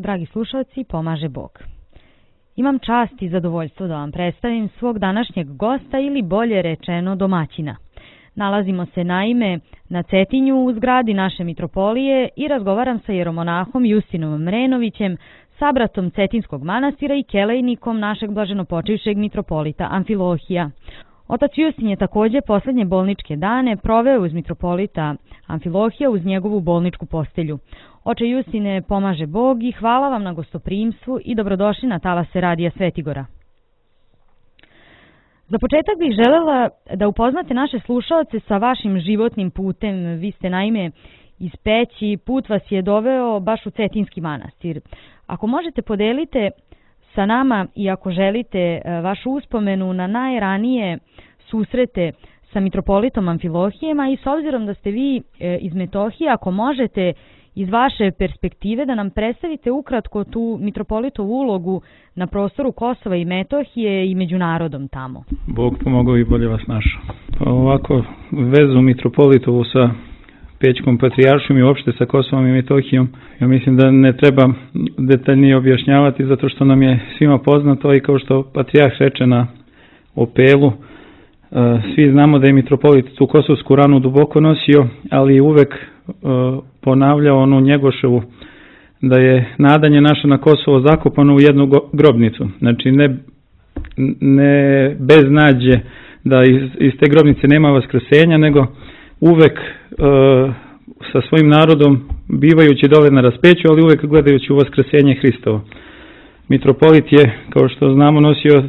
dragi slušalci, pomaže Bog. Imam čast i zadovoljstvo da vam predstavim svog današnjeg gosta ili bolje rečeno domaćina. Nalazimo se naime na Cetinju u zgradi naše mitropolije i razgovaram sa jeromonahom Justinom Mrenovićem, sabratom Cetinskog manastira i kelejnikom našeg blaženopočivšeg mitropolita Amfilohija. Otac Justin je također posljednje bolničke dane proveo uz mitropolita Amfilohija uz njegovu bolničku postelju. Oče Justine, pomaže Bog i hvala vam na gostoprimstvu i dobrodošli na talase Radija Svetigora. Za početak bih želela da upoznate naše slušaoce sa vašim životnim putem. Vi ste naime iz Peći, put vas je doveo baš u Cetinski manastir. Ako možete podelite sa nama i ako želite vašu uspomenu na najranije susrete sa mitropolitom Amfilohijem, a i s obzirom da ste vi iz Metohije, ako možete iz vaše perspektive da nam predstavite ukratko tu mitropolitovu ulogu na prostoru Kosova i Metohije i među narodom tamo. Bog pomogao i bolje vas našao. Ovako, vezu mitropolitovu sa Pećkom patrijaršijom i uopšte sa Kosovom i Metohijom, ja mislim da ne treba detaljnije objašnjavati zato što nam je svima poznato i kao što patrijarh reče na Opelu, svi znamo da je mitropolit tu kosovsku ranu duboko nosio, ali uvek ponavljao onu Njegoševu da je nadanje naše na Kosovo zakopano u jednu grobnicu. Znači ne bez nađe da iz te grobnice nema vaskrsenja, nego uvek sa svojim narodom bivajući dole na raspeću, ali uvek gledajući u vaskrsenje Hristovo. Mitropolit je, kao što znamo, nosio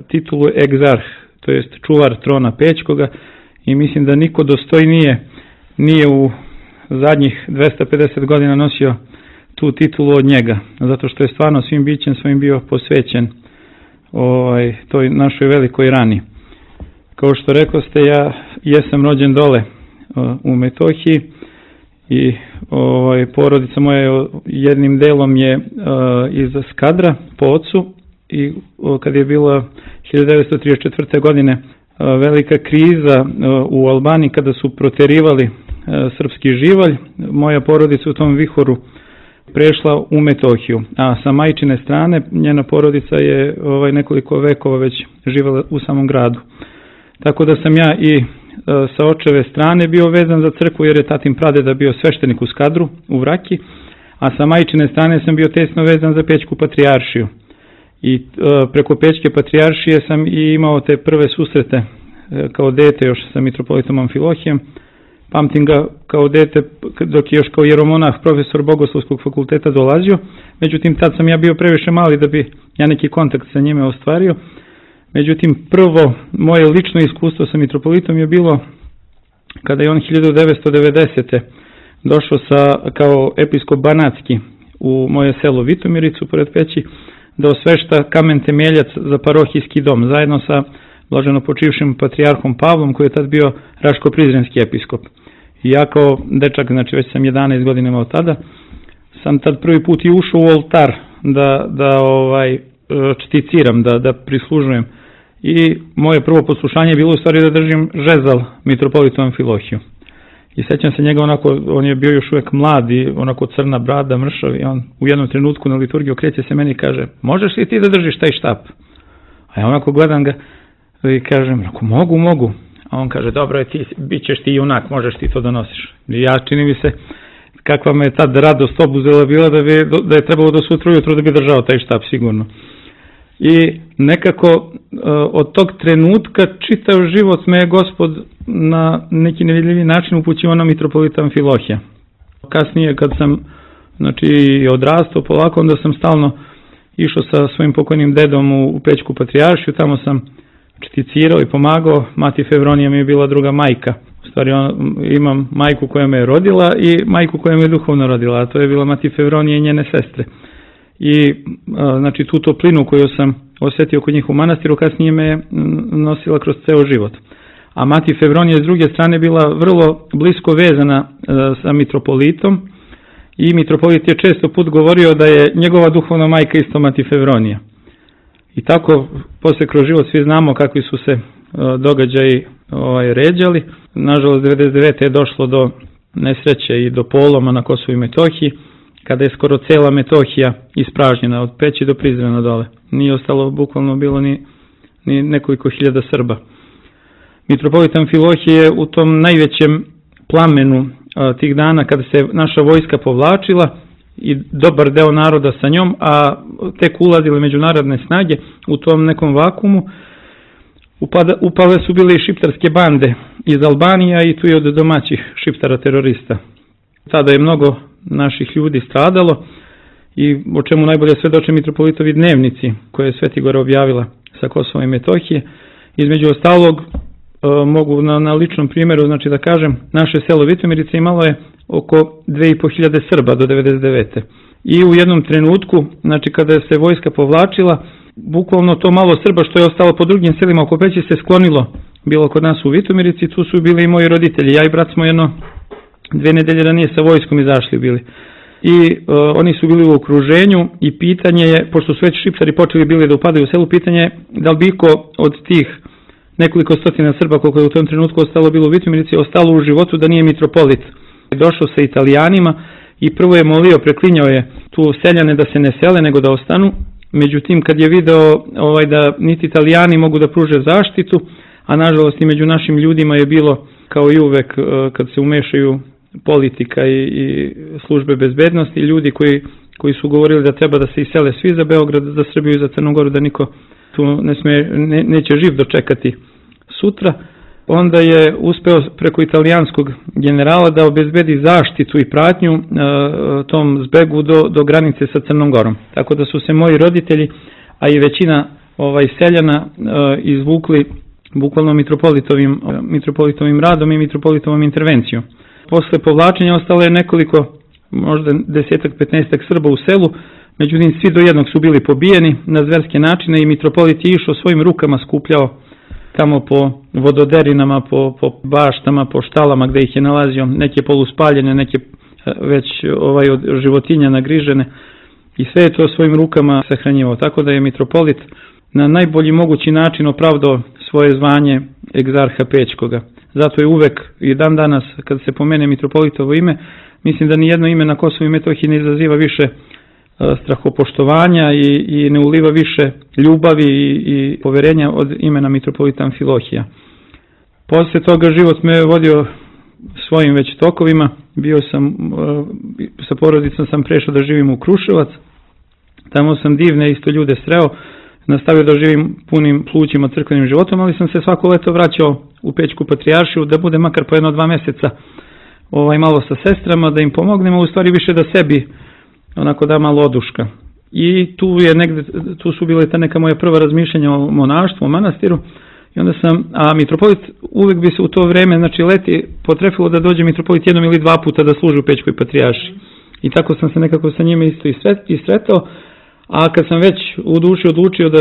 titulu egzarh, to jest čuvar trona Pećkoga, i mislim da niko dostojnije nije u zadnjih 250 godina nosio tu titulu od njega, zato što je stvarno svim bićem svojim bio posvećen toj našoj velikoj rani. Kao što rekoste, ja jesam rođen dole u Metohiji i porodica moja jednim delom je iz Skadra po ocu, i kad je bila 1934. godine velika kriza u Albaniji kada su proterivali srpski živalj, moja porodica u tom vihoru prešla u Metohiju, a sa majčine strane njena porodica je nekoliko vekova već živjela u samom gradu. Tako da sam ja i sa očeve strane bio vezan za crkvu, jer je tatin pradeda bio sveštenik u Skadru, u Vraki, a sa majčine strane sam bio tesno vezan za Pećku patrijaršiju. I preko Pećke patrijaršije sam i imao te prve susrete kao dete još sa mitropolitom Amfilohijem. Pamtim ga kao dete dok je još kao jeromonah profesor Bogoslovskog fakulteta dolazio. Međutim, tad sam ja bio previše mali da bi ja neki kontakt sa njime ostvario. Međutim, prvo moje lično iskustvo sa mitropolitom je bilo kada je on 1990. došao kao episkop Banatski u moje selo Vitomiricu pored Peći da osvešta kamen temeljac za parohijski dom zajedno sa blaženopočivšim patrijarhom Pavlom, koji je tad bio Raško-Prizrenski episkop. I ja kao dečak, znači već sam 11 godina imao tada, sam tad prvi put i ušao u oltar da čticiram, da prislužujem. I moje prvo poslušanje je bilo u stvari da držim žezal mitropolitu Amfilohiju. I sećam se njega onako, on je bio još uvek mlad i onako crna brada, mršav, i on u jednom trenutku na liturgiji okreće se meni i kaže: možeš li ti da držiš taj štap? A ja onako gledam ga i kažem: mogu. A on kaže: dobro je, bit ćeš ti junak, možeš ti to da nosiš. I ja, čini mi se, kakva me tad radost obuzela bila da je trebalo do sutra ujutro da bi držao taj štap sigurno. I nekako od tog trenutka čitav život me je Gospod na neki nevidljivi način upućivao na mitropolita Amfilohija. Kasnije kad sam odrastao polako, onda sam stalno išao sa svojim pokojnim dedom u Pećku patrijaršiju, tamo sam čticirao i pomagao. Mati Fevronija mi je bila druga majka. U stvari imam majku koja me je rodila i majku koja me je duhovno rodila, a to je bila Mati Fevronija i njene sestre. I tu toplinu koju sam osjetio kod njih u manastiru kasnije me je nosila kroz ceo život. A Mati Fevronija s druge strane bila vrlo blisko vezana sa mitropolitom i mitropolit je često put govorio da je njegova duhovna majka isto Mati Fevronija. I tako poslije kroz život svi znamo kakvi su se događaji ređali. Nažalost 99. je došlo do nesreće i do poloma na Kosovu i Metohiji, kada je skoro cela Metohija ispražnjena, od Peći do Prizrena dole. Nije ostalo bukvalno bilo ni nekoliko hiljada Srba. Mitropolit Amfilohije je u tom najvećem plamenu tih dana kada se naša vojska povlačila i dobar deo naroda sa njom, a tek ulazile međunarodne snage u tom nekom vakumu, upale su bile i šiptarske bande iz Albanija i tu je od domaćih šiptara terorista. Tada je mnogo naših ljudi stradalo i o čemu najbolje svedoče mitropolitovi dnevnici koje je Svetigora objavila sa Kosova i Metohije. Između ostalog, mogu na ličnom primjeru znači da kažem, naše selo Vitomirice imalo je oko 2500 Srba do 99. I u jednom trenutku, znači kada se vojska povlačila, bukvalno to malo Srba što je ostalo po drugim selima oko Peći se sklonilo, bilo kod nas u Vitomirici, tu su bili i moji roditelji, ja i brat smo 2 nedelje ranije sa vojskom izašli bili. I oni su bili u okruženju i pitanje je, pošto su već šiptari počeli bili da upadaju u selu, pitanje je da li bi iko od tih nekoliko stotina Srba koliko je u tom trenutku ostalo bilo u Vitomirici, ostalo u životu da nije mitropolit. Došao sa Italijanima i prvo je molio, preklinjao je tu seljane da se ne sele nego da ostanu. Međutim, kad je video da niti Italijani mogu da pruže zaštitu, a nažalost i među našim ljudima je bilo kao i uvek kad se umešaju politika i službe bezbednosti, ljudi koji su govorili da treba da se isele svi za Beograd, za Srbiju i za Crnu Goru, da niko tu neće živ dočekati sutra. Onda je uspeo preko italijanskog generala da obezbedi zaštitu i pratnju tom zbegu do granice sa Crnom Gorom. Tako da su se moji roditelji, a i većina seljana izvukli bukvalno mitropolitovim radom i mitropolitovom intervencijom. Posle povlačenja ostalo je nekoliko, možda 10-15 Srba u selu, međutim svi do jednog su bili pobijeni na zverske načine i mitropolit je išao svojim rukama skupljao tamo po vododerinama, po baštama, po štalama gde ih je nalazio, neke poluspaljene, neke već od životinja nagrižene i sve je to svojim rukama sahranjivao. Tako da je mitropolit na najbolji mogući način opravdao svoje zvanje egzarha Pećkoga. Zato je uvek i dan danas kad se pomene mitropolitovo ime, mislim da nijedno ime na Kosovu i Metohiji ne izaziva više strahopoštovanja i ne uliva više ljubavi i poverenja od imena mitropolita Amfilohija. Posle toga život me vodio svojim već tokovima. Bio sam, sa porodicom sam prešao da živim u Kruševac. Tamo sam divne isto ljude sreo. Nastavio da živim punim plućima crkvenim životom, ali sam se svako leto vraćao u Pećku patrijaršiju da bude makar po 1-2 meseca malo sa sestrama, da im pomognemo, u stvari više da sebi onako da malo oduška. I tu su bile ta neka moja prva razmišljanja o monaštvu, o manastiru. I onda a mitropolit uvek bi se u to vreme, znači leti, potrefilo da dođe mitropolit 1 ili 2 puta da služi u Pećkoj patrijaršiji. I tako sam se nekako sa njime isto i sretao. A kad sam već u duši odlučio da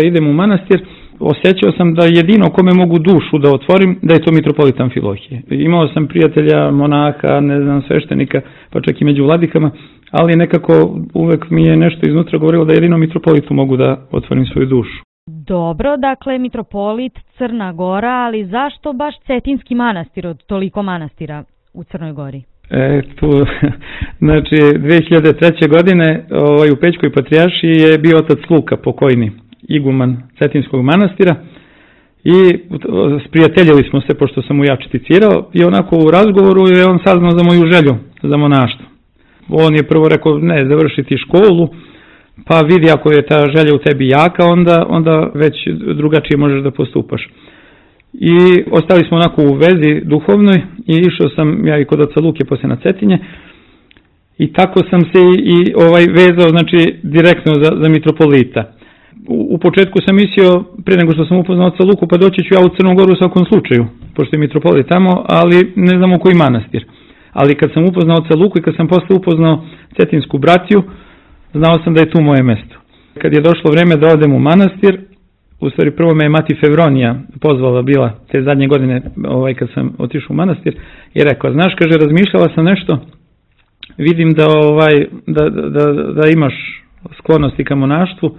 idem u manastir, osjećao sam da jedino kome mogu dušu da otvorim, da je to mitropolit Amfilohije. Imao sam prijatelja, monaha, sveštenika, pa čak i među vladikama, ali nekako uvek mi je nešto iznutra govorilo da jedino mitropolitu mogu da otvorim svoju dušu. Dobro, dakle mitropolit Crna Gora, ali zašto baš Cetinski manastir od toliko manastira u Crnoj Gori? Znači 2003. godine u Pećkoj patrijaršiji je bio otac Luka, pokojni iguman Cetinskog manastira i sprijateljili smo se pošto sam mu ja četicirao i onako u razgovoru je on saznao za moju želju za monaštvo. On je prvo rekao ne, završiti školu, pa vidi ako je ta želja u tebi jaka, onda već drugačije možeš da postupaš. I ostali smo onako u vezi duhovnoj i išao sam ja i kod oca Luke poslije na Cetinje i tako sam se vezao znači direktno za mitropolita. U početku sam mislio, prije nego što sam upoznao oca Luku, pa doći ću ja u Crnu Goru u svakom slučaju, pošto je mitropolit tamo, ali ne znam u koji manastir. Ali kad sam upoznao oca Luku i kad sam posle upoznao Cetinsku bratiju, znao sam da je tu moje mesto. Kad je došlo vreme da odem u manastir, u stvari prvo me je mati Fevronija pozvala bila te zadnje godine kad sam otišao u manastir i rekao, znaš, kaže, razmišljala sam nešto, vidim da imaš sklonosti ka monaštvu,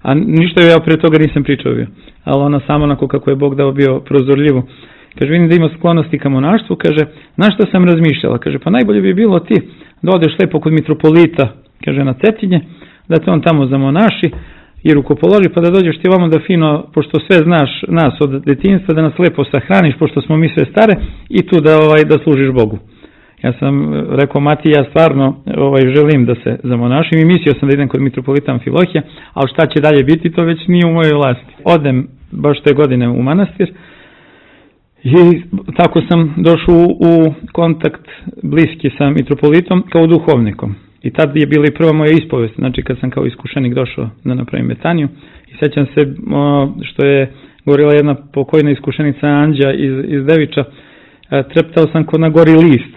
a ništa ja pre toga nisam pričao bio, ali ona samo onako kako je Bog dao bio prozorljivo. Kaže, vidim da ima sklonosti ka monaštvu, kaže, znaš šta sam razmišljala, kaže, pa najbolje bi bilo ti da odeš lepo kod mitropolita, kaže, na Cetinje, da te on tamo zamonaši i rukopoloži, pa da dođeš ti ovamo da fino, pošto sve znaš nas od detinjstva, da nas lepo sahraniš, pošto smo mi sve stare, i tu da služiš Bogu. Ja sam rekao, Mati, ja stvarno želim da se zamonašim i mislio sam da idem kod mitropolita Amfilohija, ali šta će dalje biti, to već nije u mojoj vlasti. Odem baš te godine u manastir i tako sam došao u kontakt bliski sa mitropolitom kao duhovnikom. I tad je bila i prva moja ispovest, znači kad sam kao iskušenik došao da napravim metaniju. I sećam se što je govorila jedna pokojna iskušenica Anđa iz Deviča, treptao sam ko na gori list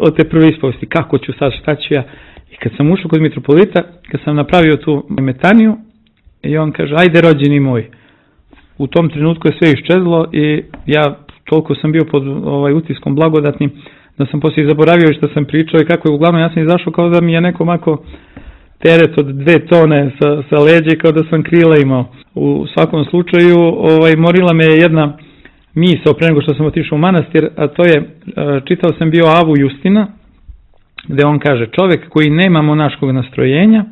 od te prve ispovesti, kako ću sad, šta ću ja. I kad sam ušao kod mitropolita, kad sam napravio tu metaniju, i on kaže, ajde rođeni moj. U tom trenutku je sve iščezlo i ja toliko sam bio pod utiskom blagodatnim, da sam poslije zaboravio što sam pričao i kako je. Uglavnom ja sam izašao kao da mi je neko mako teret od 2 tone sa leđa, kao da sam krila imao. U svakom slučaju morila me jedna misao pre nego što sam otišao u manastir, a to je, čitao sam bio Avu Justina, gde on kaže, čovek koji nema monaškog nastrojenja,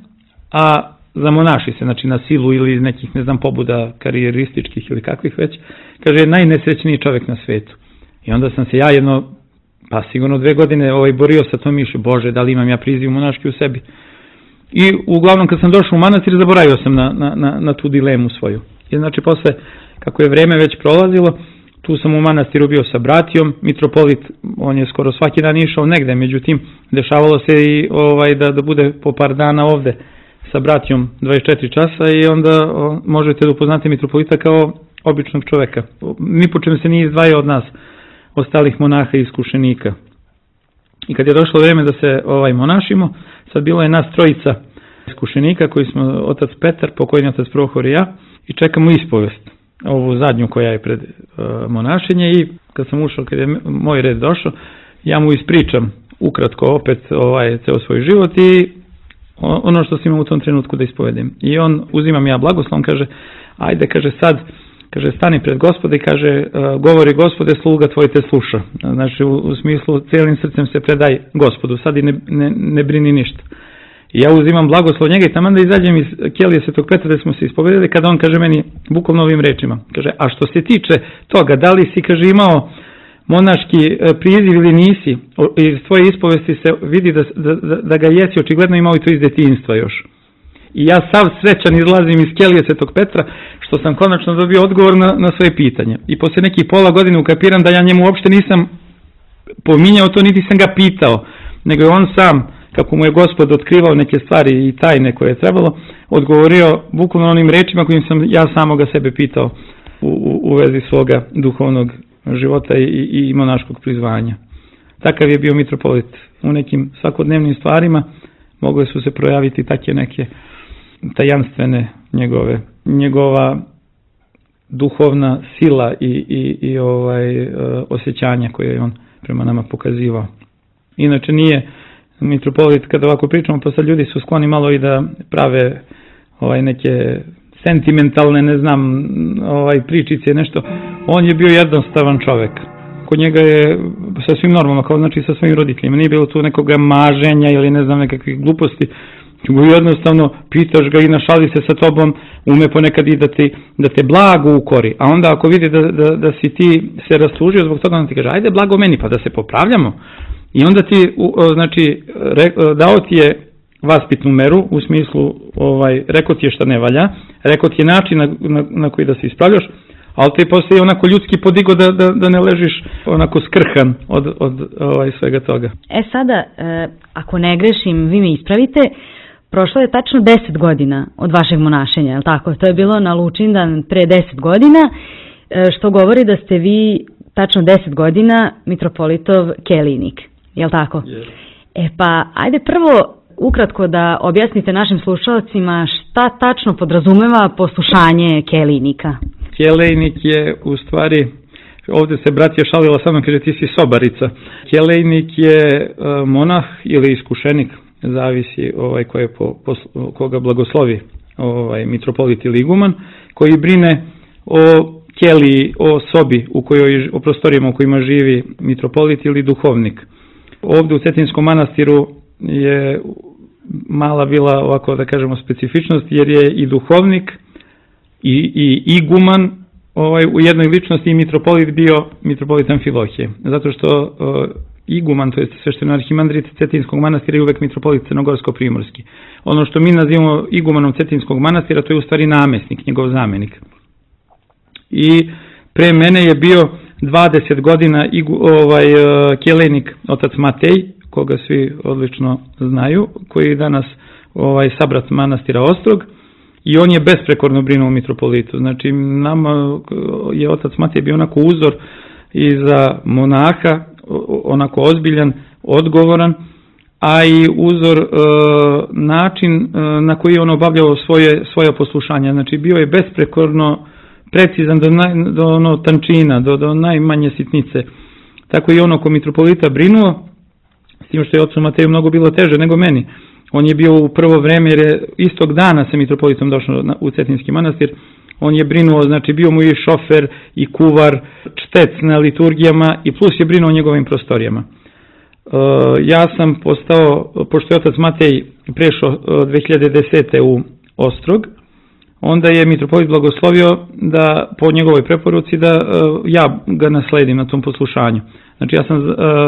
a zamonaši se, znači na silu ili iz nekih, ne znam, pobuda karijerističkih ili kakvih već, kaže, najnesrećniji čovek na svetu. I onda sam se ja pa sigurno 2 godine borio sa tom mišlju, Bože, da li imam ja priziv monaški u sebi. I uglavnom kad sam došao u manastir, zaboravio sam na tu dilemu svoju. I znači posle, kako je vreme već prolazilo, tu sam u manastiru bio sa bratijom, mitropolit, on je skoro svaki dan išao negde, međutim, dešavalo se i da bude po par dana ovde sa bratijom 24 časa i onda možete da upoznate mitropolita kao običnog čoveka. Ni po čem se nije izdvajao od nas, ostalih monaha i iskušenika. I kad je došlo vreme da se monašimo, sad bilo je nas 3 iskušenika, koji smo otac Petar, pokojni otac Prohor i ja, i čekamo ispovest, ovu zadnju koja je pred monašenje. I kad sam ušao, kad je moj red došao, ja mu ispričam ukratko opet ceo svoj život i ono što sam imao u tom trenutku da ispovedem. I on, uzimam ja blagoslov, kaže, ajde, kaže, sad, kaže, stani pred Gospoda i kaže, govori Gospode, sluga tvoj te sluša. Znači, u smislu, cijelim srcem se predaj Gospodu, sad i ne brini ništa. I ja uzimam blagoslov njega i taman da izađem iz kelije Svetog Petra da smo se ispovedili, kada on kaže meni bukvalno ovim rečima, kaže, a što se tiče toga, da li si, kaže, imao monaški priziv ili nisi, iz tvoje ispovesti se vidi da ga jesi očigledno imao i to iz detinjstva još. I ja sav srećan izlazim iz kelije Svetog Petra što sam konačno dobio odgovor na svoje pitanje. I posle nekih pola godine ukapiram da ja njemu uopšte nisam pominjao to, niti sam ga pitao, nego je on sam, kako mu je Gospod otkrivao neke stvari i tajne koje je trebalo, odgovorio bukvalno onim rečima kojim sam ja samoga sebe pitao u vezi svoga duhovnog života i monaškog prizvanja. Takav je bio mitropolit. U nekim svakodnevnim stvarima mogle su se projaviti takve neke tajanstvene njegova duhovna sila i osjećanja koje je on prema nama pokazivao. Inače nije mitropolit, kada ovako pričamo, pa sad ljudi su skloni malo i da prave neke sentimentalne, ne znam, pričice, nešto. On je bio jednostavan čovek. Kod njega je sasvim normalno, kao znači sa svojim roditeljima. Nije bilo tu nekoga maženja ili ne znam nekakvih gluposti. Jednostavno pitaš ga i našali se sa tobom, ume ponekad i da te blago ukori. A onda ako vidi da si ti se raslužio zbog toga, on ti kaže, ajde blago meni, pa da se popravljamo. I onda ti, znači, dao ti je vaspitnu meru, u smislu, rekao ti je šta ne valja, rekao ti je način na koji da se ispravljaš, ali te poslije onako ljudski podigo da ne ležiš onako skrhan od svega toga. Sada, ako ne grešim, vi me ispravite, prošlo je tačno 10 godina od vašeg monašenja, je li tako? To je bilo na Lučindan pre 10 godina, što govori da ste vi tačno 10 godina mitropolitov kelijnik, je li tako? Yes. Pa, ajde prvo ukratko da objasnite našim slušalcima šta tačno podrazumeva poslušanje kelijnika. Kelejnik je u stvari, ovdje se bratija šalila sa mnom, kaže ti si sobarica. Kelejnik je monah ili iskušenik, zavisi koga blagoslovi mitropolit ili iguman, koji brine o keliji, o sobi, o prostorijama u kojima živi mitropolit ili duhovnik. Ovdje u Cetinskom manastiru je mala bila, ovako da kažemo, specifičnost, jer je i duhovnik i iguman u jednoj ličnosti i mitropolit bio mitropolit Amfilohije. Zato što iguman, to je svešteno arhimandrit Cetinskog manastira, je uvek mitropolit crnogorsko-primorski. Ono što mi nazivamo igumanom Cetinskog manastira, to je u stvari namesnik, njegov zamenik. I pre mene je bio 20 godina kelejnik otac Matej, koga svi odlično znaju, koji je danas sabrat manastira Ostrog, i on je besprekorno brinuo o mitropolitu. Znači, nama je otac Matej bio onako uzor i za monaha, onako ozbiljan, odgovoran, a i uzor način na koji je on obavljao svoje poslušanje. Znači, bio je besprekorno precizan do tančina, do najmanje sitnice. Tako i ono ko mitropolita brinuo, s tim što je ocu Mateju mnogo bilo teže nego meni. On je bio u prvo vreme, jer je istog dana sa mitropolitom došao u Cetinski manastir. On je brinuo, znači bio mu i šofer i kuvar, čtec na liturgijama i plus je brinuo o njegovim prostorijama. Ja sam postao, pošto je otac Matej prešao 2010. u Ostrog, onda je mitropolit blagoslovio da po njegovoj preporuci da ja ga nasledim na tom poslušanju. Znači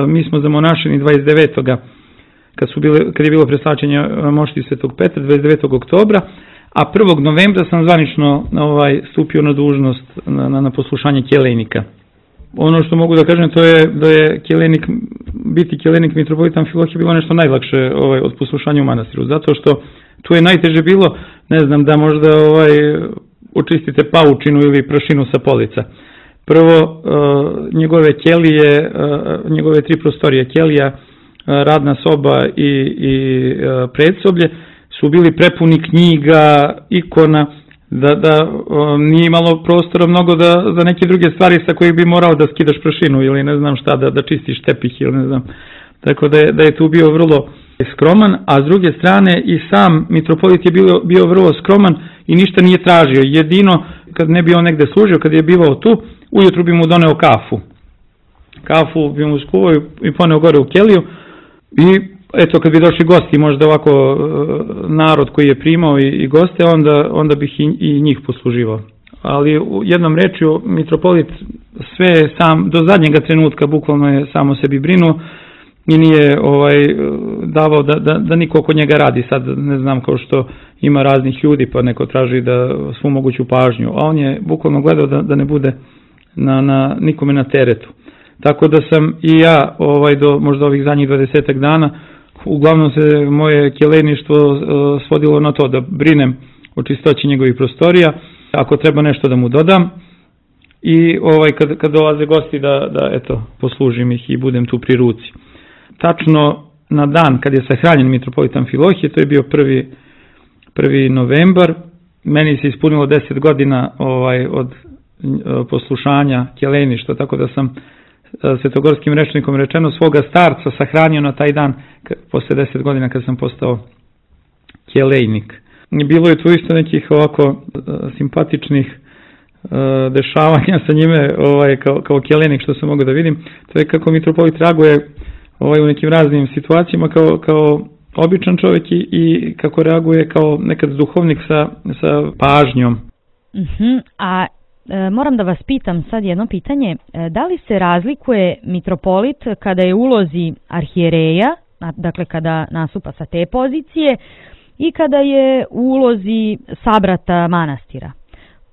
mi smo zamonašeni 29. kad je bilo preslačenje mošti Svetog Petra 29. oktobra, a 1. novembra sam zvanično stupio na dužnost na poslušanje kelejnika. Ono što mogu da kažem, to je da je biti kelejnik mitropolita Amfilohije bilo nešto najlakše od poslušanja u manastiru, zato što tu je najteže bilo, ne znam, da možda očistite paučinu ili prašinu sa polica. Prvo, njegove kelije, njegove 3 prostorije, kelija, radna soba i predsoblje, su bili prepuni knjiga, ikona, da nije imalo prostora mnogo za neke druge stvari sa kojih bi morao da skidaš prašinu ili ne znam šta, da čistiš tepih ili ne znam. Tako da je tu bio vrlo skroman, a s druge strane i sam mitropolit je bio vrlo skroman i ništa nije tražio. Jedino, kad ne bi on negde služio, kad je bivao tu, ujutru bi mu doneo kafu. Kafu bi mu skuvao i poneo gore u keliju i eto, kad bi došli gosti, možda ovako narod koji je primao i goste, onda bih i njih posluživao. Ali u jednom rečju, mitropolit sve sam, do zadnjega trenutka bukvalno je samo sebi brinuo i nije davao da niko oko njega radi. Sad ne znam, kao što ima raznih ljudi pa neko traži da svu moguću pažnju, a on je bukvalno gledao da ne bude nikome na teretu. Tako da sam i ja do možda ovih zadnjih 20 dana, uglavnom se moje kelejništvo svodilo na to da brinem o čistoći njegovih prostorija, ako treba nešto da mu dodam i kad dolaze gosti da eto, poslužim ih i budem tu pri ruci. Tačno na dan kad je sahranjen mitropolit Amfilohije, to je bio 1. novembar, meni se ispunilo 10 godina od poslušanja kelejništva, tako da sam svetogorskim rečnikom rečeno svoga starca sahranio na taj dan posle 10 godina kad sam postao kelejnik. Bilo je tu isto nekih ovako simpatičnih dešavanja sa njime kao kelejnik što sam mogao da vidim. To je kako mitropolit reaguje u nekim raznim situacijama kao običan čovjek i kako reaguje kao nekad duhovnik sa pažnjom. A moram da vas pitam sad jedno pitanje. Da li se razlikuje mitropolit kada je u ulozi arhijereja, dakle kada nastupa sa te pozicije, i kada je u ulozi sabrata manastira?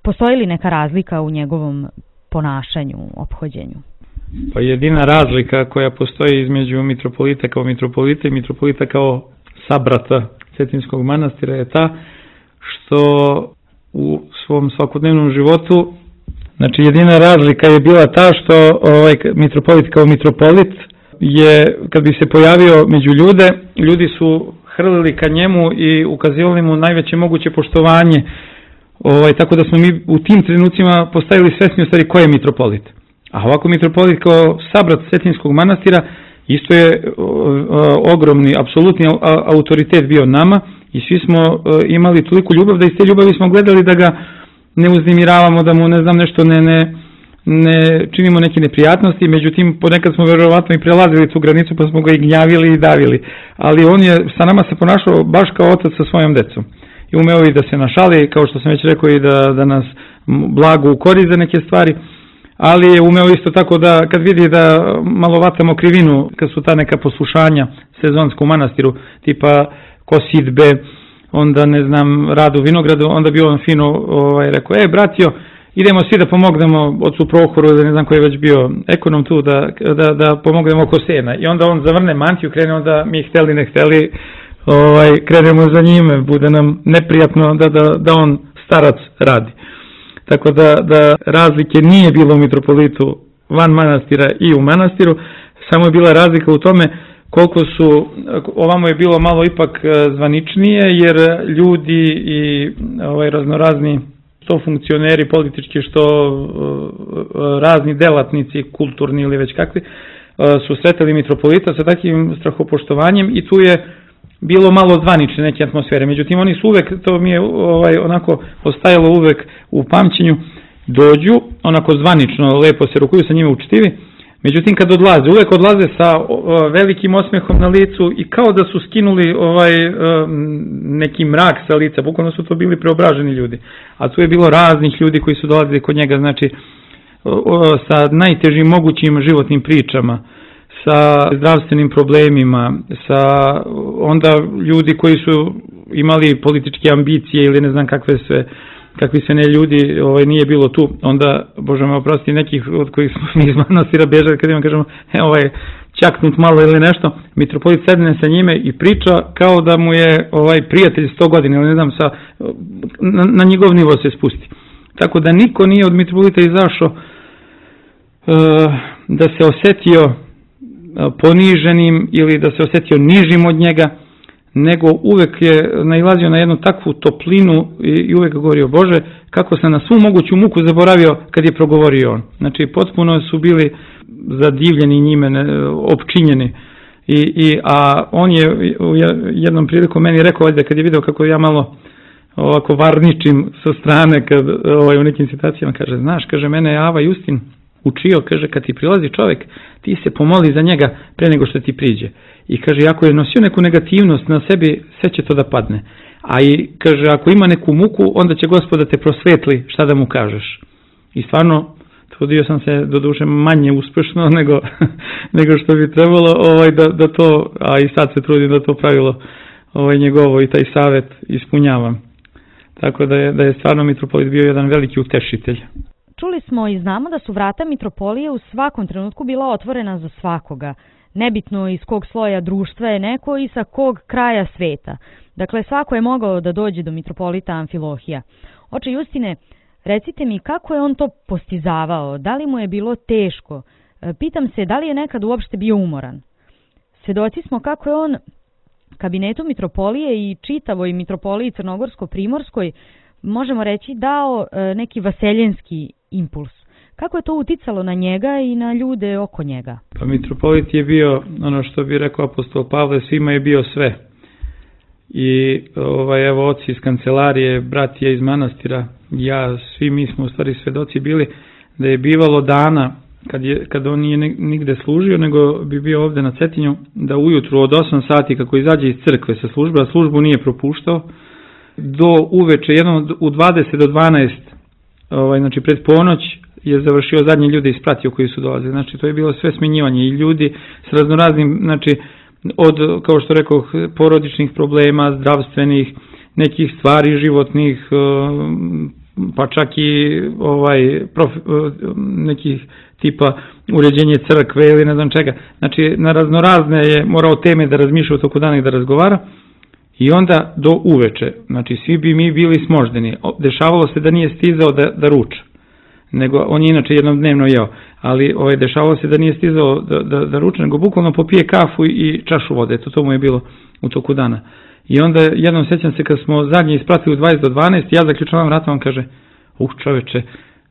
Postoji li neka razlika u njegovom ponašanju, ophođenju? Pa jedina razlika koja postoji između mitropolita kao mitropolita i mitropolita kao sabrata Cetinskog manastira je ta što u svom svakodnevnom životu, znači jedina razlika je bila ta što mitropolit kao mitropolit je, kad bi se pojavio među ljude, ljudi su hrlili ka njemu i ukazivali mu najveće moguće poštovanje, tako da smo mi u tim trenucima postavili svesni u stvari ko je mitropolit. A ovako mitropolit kao sabrat Cetinskog manastira isto je ogromni, apsolutni autoritet bio nama i svi smo imali toliko ljubav da iz te ljubavi smo gledali da ga ne uznemiravamo, da mu ne znam nešto ne činimo neke neprijatnosti, međutim ponekad smo verovatno i prelazili tu granicu pa smo ga i gnjavili i davili, ali on je sa nama se ponašao baš kao otac sa svojom decom i umeo i da se našali, kao što sam već rekao, i da nas blago ukori za neke stvari, ali je umeo isto tako da kad vidi da malo vatamo krivinu, kad su ta neka poslušanja sezonska u manastiru, tipa kosidbe, onda ne znam, rad u vinogradu, onda bi on fino rekao, bratio, idemo svi da pomognemo ocu Prohoru, da ne znam koji je već bio ekonom tu, da pomognemo oko sena. I onda on zavrne mantiju, krene onda mi hteli ne hteli, krenemo za njime, bude nam neprijatno da on starac radi. Tako da razlike nije bilo u mitropolitu van manastira i u manastiru, samo je bila razlika u tome koliko su, ovamo je bilo malo ipak zvaničnije, jer ljudi i raznorazni što funkcioneri politički, što razni delatnici, kulturni ili već kakvi, su sretali mitropolita sa takvim strahopoštovanjem i tu je bilo malo zvanične neke atmosfere. Međutim, oni su uvek, to mi je onako ostajalo uvek u pamćenju, dođu, onako zvanično, lepo se rukuju sa njime učitivi, međutim kad odlaze, uvek odlaze sa velikim osmehom na licu i kao da su skinuli neki mrak sa lica, bukvalno su to bili preobraženi ljudi. A tu je bilo raznih ljudi koji su dolazili kod njega, znači sa najtežim mogućim životnim pričama, sa zdravstvenim problemima, sa onda ljudi koji su imali političke ambicije ili ne znam kakvi sve ne ljudi nije bilo tu, onda, Bože me oprosti, nekih od kojih smo mi iz manastira bježali, kad imam kažemo, čaknut malo ili nešto, mitropolit sedne sa njime i priča kao da mu je prijatelj 100 godina, ili ne znam, na njegov nivo se spusti. Tako da niko nije od mitropolita izašao da se osetio poniženim ili da se osetio nižim od njega, nego uvek je nailazio na jednu takvu toplinu i uvek govorio, Bože, kako se na svu moguću muku zaboravio kad je progovorio on. Znači, potpuno su bili zadivljeni njime, opčinjeni. A on je u jednom priliku meni rekao, kad je video kako ja malo ovako varničim sa strane u nekim situacijama, kaže, znaš, kaže, mene je Ava Justin učio, kaže, kad ti prilazi čovjek, ti se pomoli za njega pre nego što ti priđe. I kaže, ako je nosio neku negativnost na sebi, sve će to da padne. A i kaže, ako ima neku muku, onda će Gospod da te prosvetli šta da mu kažeš. I stvarno, trudio sam se doduše manje uspešno nego što bi trebalo da to, a i sad se trudim da to pravilo njegovo i taj savet ispunjavam. Tako da je stvarno mitropolit bio jedan veliki utešitelj. Čuli smo i znamo da su vrata mitropolije u svakom trenutku bila otvorena za svakoga. Nebitno iz kog sloja društva je neko i sa kog kraja sveta. Dakle, svako je mogao da dođe do mitropolita Amfilohija. Oče Justine, recite mi kako je on to postizavao, da li mu je bilo teško? Pitam se da li je nekad uopšte bio umoran. Svedoci smo kako je on kabinetu mitropolije i čitavoj mitropoliji Crnogorsko-Primorskoj, možemo reći, dao neki vaseljenski impuls. Kako je to uticalo na njega i na ljude oko njega? Pa mitropolit je bio, ono što bi rekao apostol Pavle, svima je bio sve. I evo oci iz kancelarije, bratija iz manastira, ja, svi mi smo u stvari svedoci bili da je bivalo dana kad on nije nigde služio, nego bi bio ovde na Cetinju, da ujutru od 8 sati kako izađe iz crkve sa službe, a službu nije propuštao, do uveče, jednom u 20 do 12, znači pred ponoć, je završio zadnje ljude ispratio koji su dolazili. Znači to je bilo sve smenjivanje i ljudi s raznoraznim, znači od, kao što rekoh, porodičnih problema, zdravstvenih, nekih stvari životnih, pa čak i nekih tipa uređenje crkve ili ne znam čega. Znači na raznorazne je morao teme da razmišlja u toku dana i da razgovara. I onda do uveče, znači svi bi mi bili smoždeni. Dešavalo se da nije stizao da ruča, nego on je inače jednom dnevno jeo, ali dešavalo se da nije stizao da ruča, nego bukvalno popije kafu i čašu vode, to mu je bilo u toku dana. I onda jednom sećam se kad smo zadnje ispratili u 20 do 12, ja zaključavam vrata, on kaže, čoveče,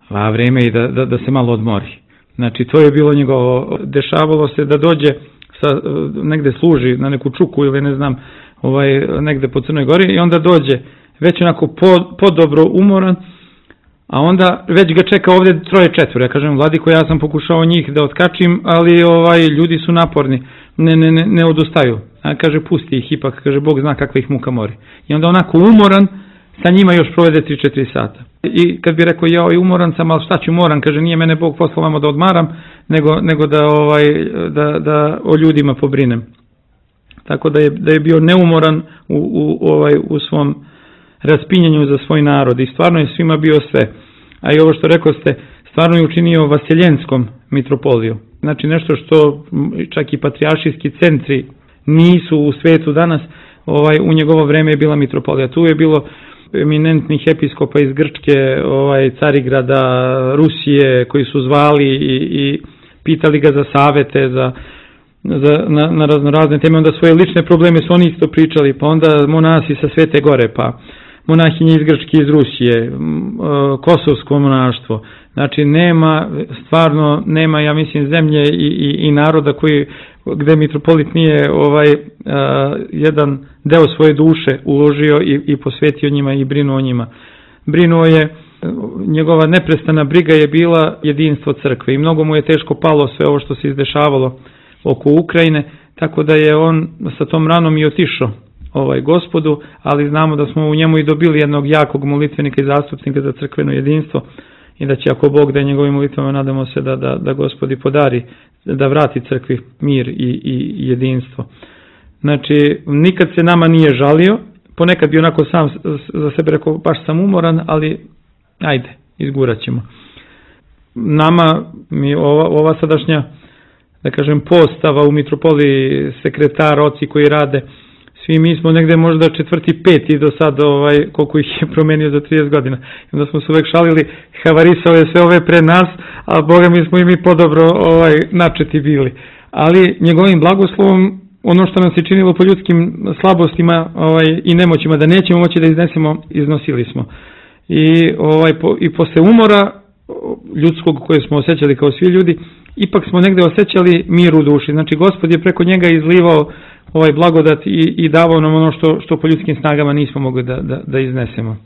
vreme je da se malo odmori. Znači to je bilo njegovo, dešavalo se da dođe, negde služi na neku čuku ili ne znam, negde po Crnoj Gori i onda dođe već onako podobro umoran, a onda već ga čeka ovde 3-4. Ja kažem, vladiko, ja sam pokušao njih da otkačim, ali ljudi su naporni, ne odustaju. A kaže, pusti ih ipak, kaže, Bog zna kakva ih muka mori. I onda onako umoran, sa njima još provede 3-4 sata. I kad bi rekao, ja umoran sam, ali šta ću moran, kaže, nije mene Bog poslao vama da odmaram, nego da o ljudima pobrinem. Tako da je bio neumoran u svom raspinjanju za svoj narod i stvarno je svima bio sve. A i ovo što rekao ste, stvarno je učinio Vasiljenskom mitropoliju. Znači nešto što čak i patrijaršijski centri nisu u svetu danas, u njegovo vreme je bila mitropolija. Tu je bilo eminentnih episkopa iz Grčke, Carigrada, Rusije, koji su zvali i pitali ga za savete, na razne teme, onda svoje lične probleme su oni isto pričali, pa onda monasi sa Svete Gore, pa monahinje iz Grčke, iz Rusije, kosovsko monaštvo. Znači stvarno nema, ja mislim, zemlje i naroda gde mitropolit nije jedan deo svoje duše uložio i posvetio njima i brinuo o njima. Brinuo je, njegova neprestana briga je bila jedinstvo crkve i mnogo mu je teško palo sve ovo što se izdešavalo oko Ukrajine, tako da je on sa tom ranom i otišao Gospodu, ali znamo da smo u njemu i dobili jednog jakog molitvenika i zastupnika za crkveno jedinstvo i da će, ako Bog da je njegovim molitvama, nadamo se da Gospodi podari, da vrati crkvi mir i jedinstvo. Znači, nikad se nama nije žalio, ponekad bi onako sam za sebe rekao, baš sam umoran, ali ajde, izgurat ćemo. Nama, ova sadašnja, da kažem, postava u mitropoliji, sekretar, oci koji rade, svi mi smo negde možda 4., 5. do sad, koliko ih je promenio za 30 godina. I onda smo se uvek šalili, havarisao je sve ove pre nas, a Boga mi smo i mi podobro načeti bili. Ali njegovim blagoslovom, ono što nam se činilo po ljudskim slabostima i nemoćima, da nećemo moći da iznesemo, iznosili smo. I posle umora ljudskog koje smo osjećali kao svi ljudi, ipak smo negde osjećali mir u duši. Znači, Gospod je preko njega izlivao blagodat i davao nam ono što po ljudskim snagama nismo mogli da iznesemo.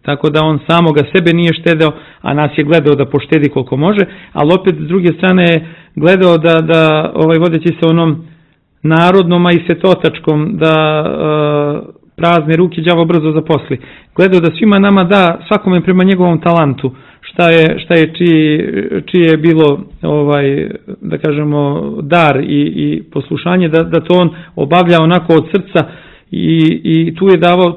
Tako da on samoga sebe nije štedeo, a nas je gledao da poštedi koliko može, ali opet s druge strane je gledao da vodeći se onom narodnom, a i svetotačkom, da prazne ruke đavo brzo zaposli. Gledao da svima nama da, svakome prema njegovom talantu, šta je čije je bilo, da kažemo, dar i poslušanje, da to on obavlja onako od srca i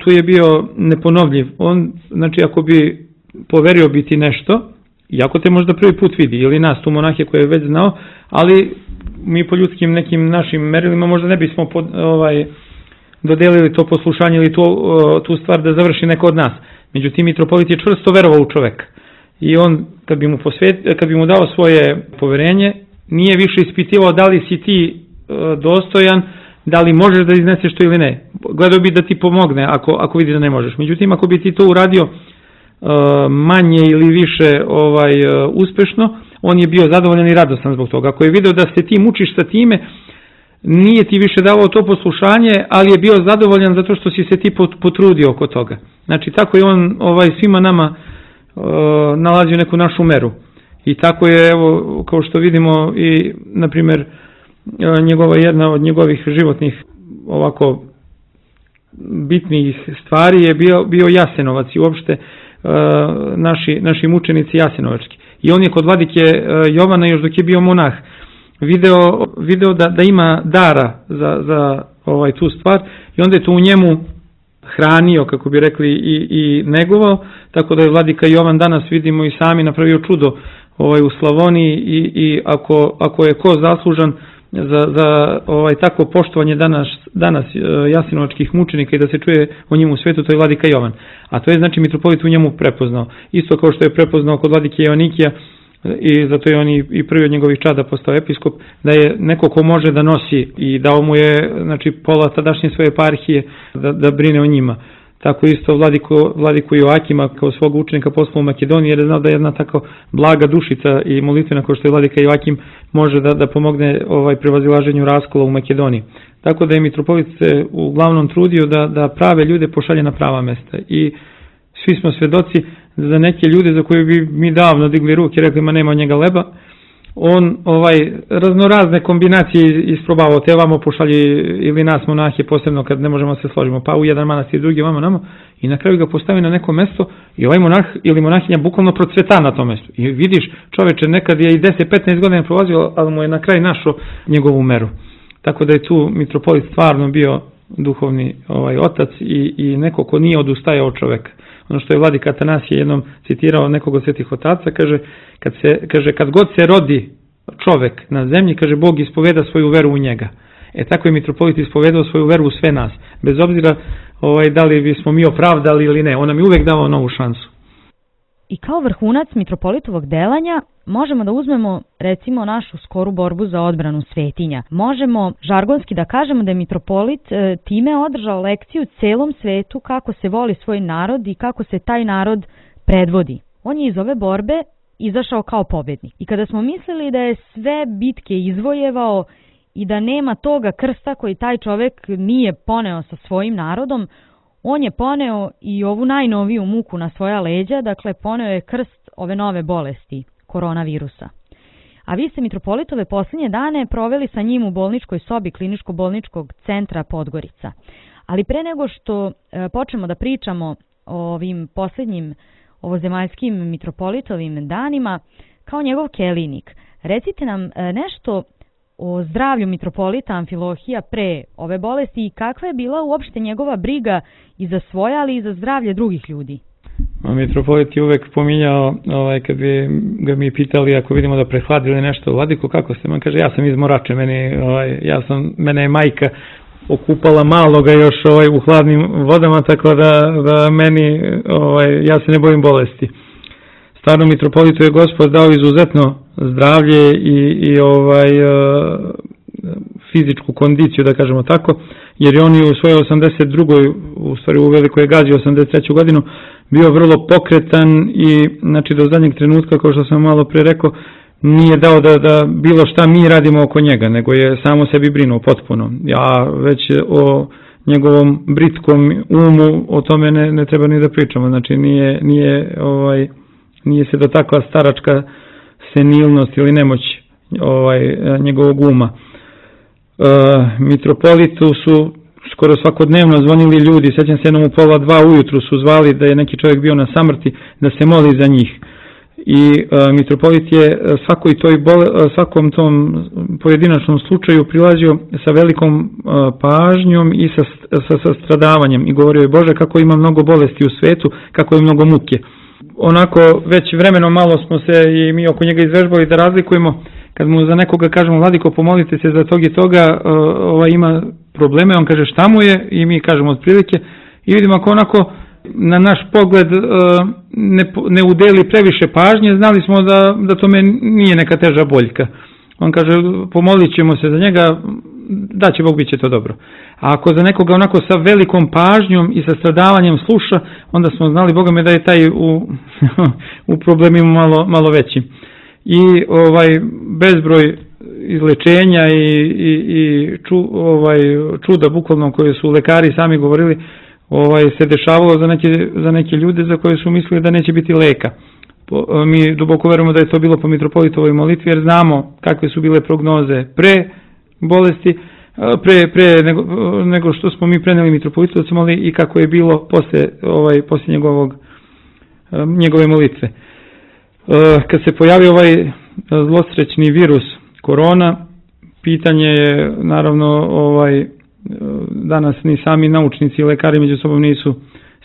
tu je bio neponovljiv. On, znači, ako bi poverio biti nešto, iako te možda prvi put vidi, ili nas, tu monahe koje je već znao, ali mi po ljudskim nekim našim merilima možda ne bismo dodelili to poslušanje ili tu stvar da završi neko od nas. Međutim, mitropolit je čvrsto verovao u čoveka. I on, kad bi mu dao svoje poverenje, nije više ispitivao da li si ti dostojan, da li možeš da izneseš to ili ne. Gledao bi da ti pomogne ako vidi da ne možeš. Međutim, ako bi ti to uradio manje ili više uspešno, on je bio zadovoljan i radostan zbog toga. Ako je video da se ti mučiš sa time, nije ti više davao to poslušanje, ali je bio zadovoljan zato što si se ti potrudio oko toga. Znači, tako je on svima nama nalazio neku našu meru. I tako je, evo, kao što vidimo, i, na primjer, jedna od njegovih životnih ovako bitnih stvari je bio Jasenovac i uopšte naši mučenici jasenovački. I on je kod vladike Jovana, još dok je bio monah, video da ima dara za tu stvar i onda je to u njemu hranio, kako bi rekli, i negovao, tako da je vladika Jovan danas, vidimo i sami, napravio čudo u Slavoniji i ako je ko zaslužan za takvo poštovanje danas jasenovačkih mučenika i da se čuje o njemu u svetu, to je vladika Jovan. A to je, znači, mitropolit u njemu prepoznao. Isto kao što je prepoznao kod vladike Joanikija, i zato je on i prvi od njegovih čada postao episkop, da je neko ko može da nosi i dao mu je, znači, pola tadašnje svoje eparhije da brine o njima. Tako isto vladiku Joakima kao svog učenika poslao u Makedoniji, jer je znao da jedna tako blaga dušica i molitvena kao što je vladika Joakim može da pomogne prevazilaženju raskola u Makedoniji. Tako da je mitropolit se uglavnom trudio da prave ljude pošalje na prava mesta i svi smo svedoci za neke ljude za koje bi mi davno digli ruke i rekli ma nema od njega leba, on raznorazne kombinacije isprobavao, te vamo pošalji ili nas monahe, posebno kad ne možemo se složimo, pa u jedan manastir, drugi vamo namo, i na kraju ga postavi na neko mesto i ovaj monah ili monahinja bukvalno procveta na tom mestu. I vidiš, čoveče, nekad je i 10-15 godina prolazio, ali mu je na kraj našao njegovu meru. Tako da je tu mitropolit stvarno bio duhovni otac i neko ko nije odustajao od čoveka. Ono što je vladika Atanasije jednom citirao nekog od svetih otaca, kaže kad god se rodi čovek na zemlji, kaže Bog ispoveda svoju veru u njega. Tako je mitropolit ispovedao svoju veru u sve nas, bez obzira da li bismo mi opravdali ili ne, on nam je uvek davao novu šansu. I kao vrhunac mitropolitovog delanja možemo da uzmemo recimo našu skoru borbu za odbranu svetinja. Možemo žargonski da kažemo da je mitropolit time održao lekciju celom svetu kako se voli svoj narod i kako se taj narod predvodi. On je iz ove borbe izašao kao pobednik. I kada smo mislili da je sve bitke izvojevao i da nema toga krsta koji taj čovek nije poneo sa svojim narodom, on je poneo i ovu najnoviju muku na svoja leđa, dakle poneo je krst ove nove bolesti, koronavirusa. A vi ste mitropolitove posljednje dane proveli sa njim u bolničkoj sobi Kliničko-bolničkog centra Podgorica. Ali pre nego što počnemo da pričamo o ovim posljednjim ovozemaljskim mitropolitovim danima, kao njegov kelijnik, recite nam nešto o zdravlju mitropolita Amfilohija pre ove bolesti i kakva je bila uopšte njegova briga i za svoje, ali i za zdravlje drugih ljudi? Mitropolit je uvek pominjao, kad bi ga mi pitali ako vidimo da prehladili nešto, Vladiko, kako ste? Man kaže, ja sam iz Morače, mene je majka okupala maloga još u hladnim vodama, tako da meni, ja se ne bojim bolesti. Stvarno, mitropolitu je Gospod dao izuzetno zdravlje i fizičku kondiciju, da kažemo tako, jer je on i u svojoj 82. u stvari u Velikoj Gazi 83. godinu bio vrlo pokretan i znači do zadnjeg trenutka, kao što sam malo pre rekao, nije dao da bilo šta mi radimo oko njega, nego je samo sebi brinuo potpuno. Ja već o njegovom britkom umu o tome ne treba ni da pričamo, znači nije se dotakla staračka senilnost ili nemoć njegovog uma. Mitropolitu su skoro svakodnevno zvonili ljudi, sećam se jednom u 1:30 ujutru su zvali da je neki čovjek bio na samrti, da se moli za njih. I mitropolit je svakom tom pojedinačnom slučaju prilazio sa velikom pažnjom i sa stradavanjem i govorio je Bože kako ima mnogo bolesti u svetu, kako je mnogo muke. Onako već vremenom malo smo se i mi oko njega izvežbali da razlikujemo, kad mu za nekoga kažemo Vladiko pomolite se za tog i toga, ima probleme, on kaže šta mu je i mi kažemo otprilike i vidimo ako onako na naš pogled ne udeli previše pažnje, znali smo da tome nije neka teža boljka. On kaže pomolit ćemo se za njega, da će Bog, bit će to dobro. A ako za nekoga onako sa velikom pažnjom i sa stradavanjem sluša, onda smo znali Boga me da je taj u problemima malo veći. I bezbroj izlečenja i čuda bukvalno koje su lekari sami govorili se dešavalo za neke ljude za koje su mislili da neće biti leka. Mi duboko verujemo da je to bilo po mitropolitovoj molitvi jer znamo kakve su bile prognoze pre bolesti, pre nego što smo mi preneli mitropolitovcima, ali i kako je bilo posle njegove molitve. Kad se pojavio ovaj zlosrećni virus korona, pitanje je naravno danas ni sami naučnici i lekari među sobom nisu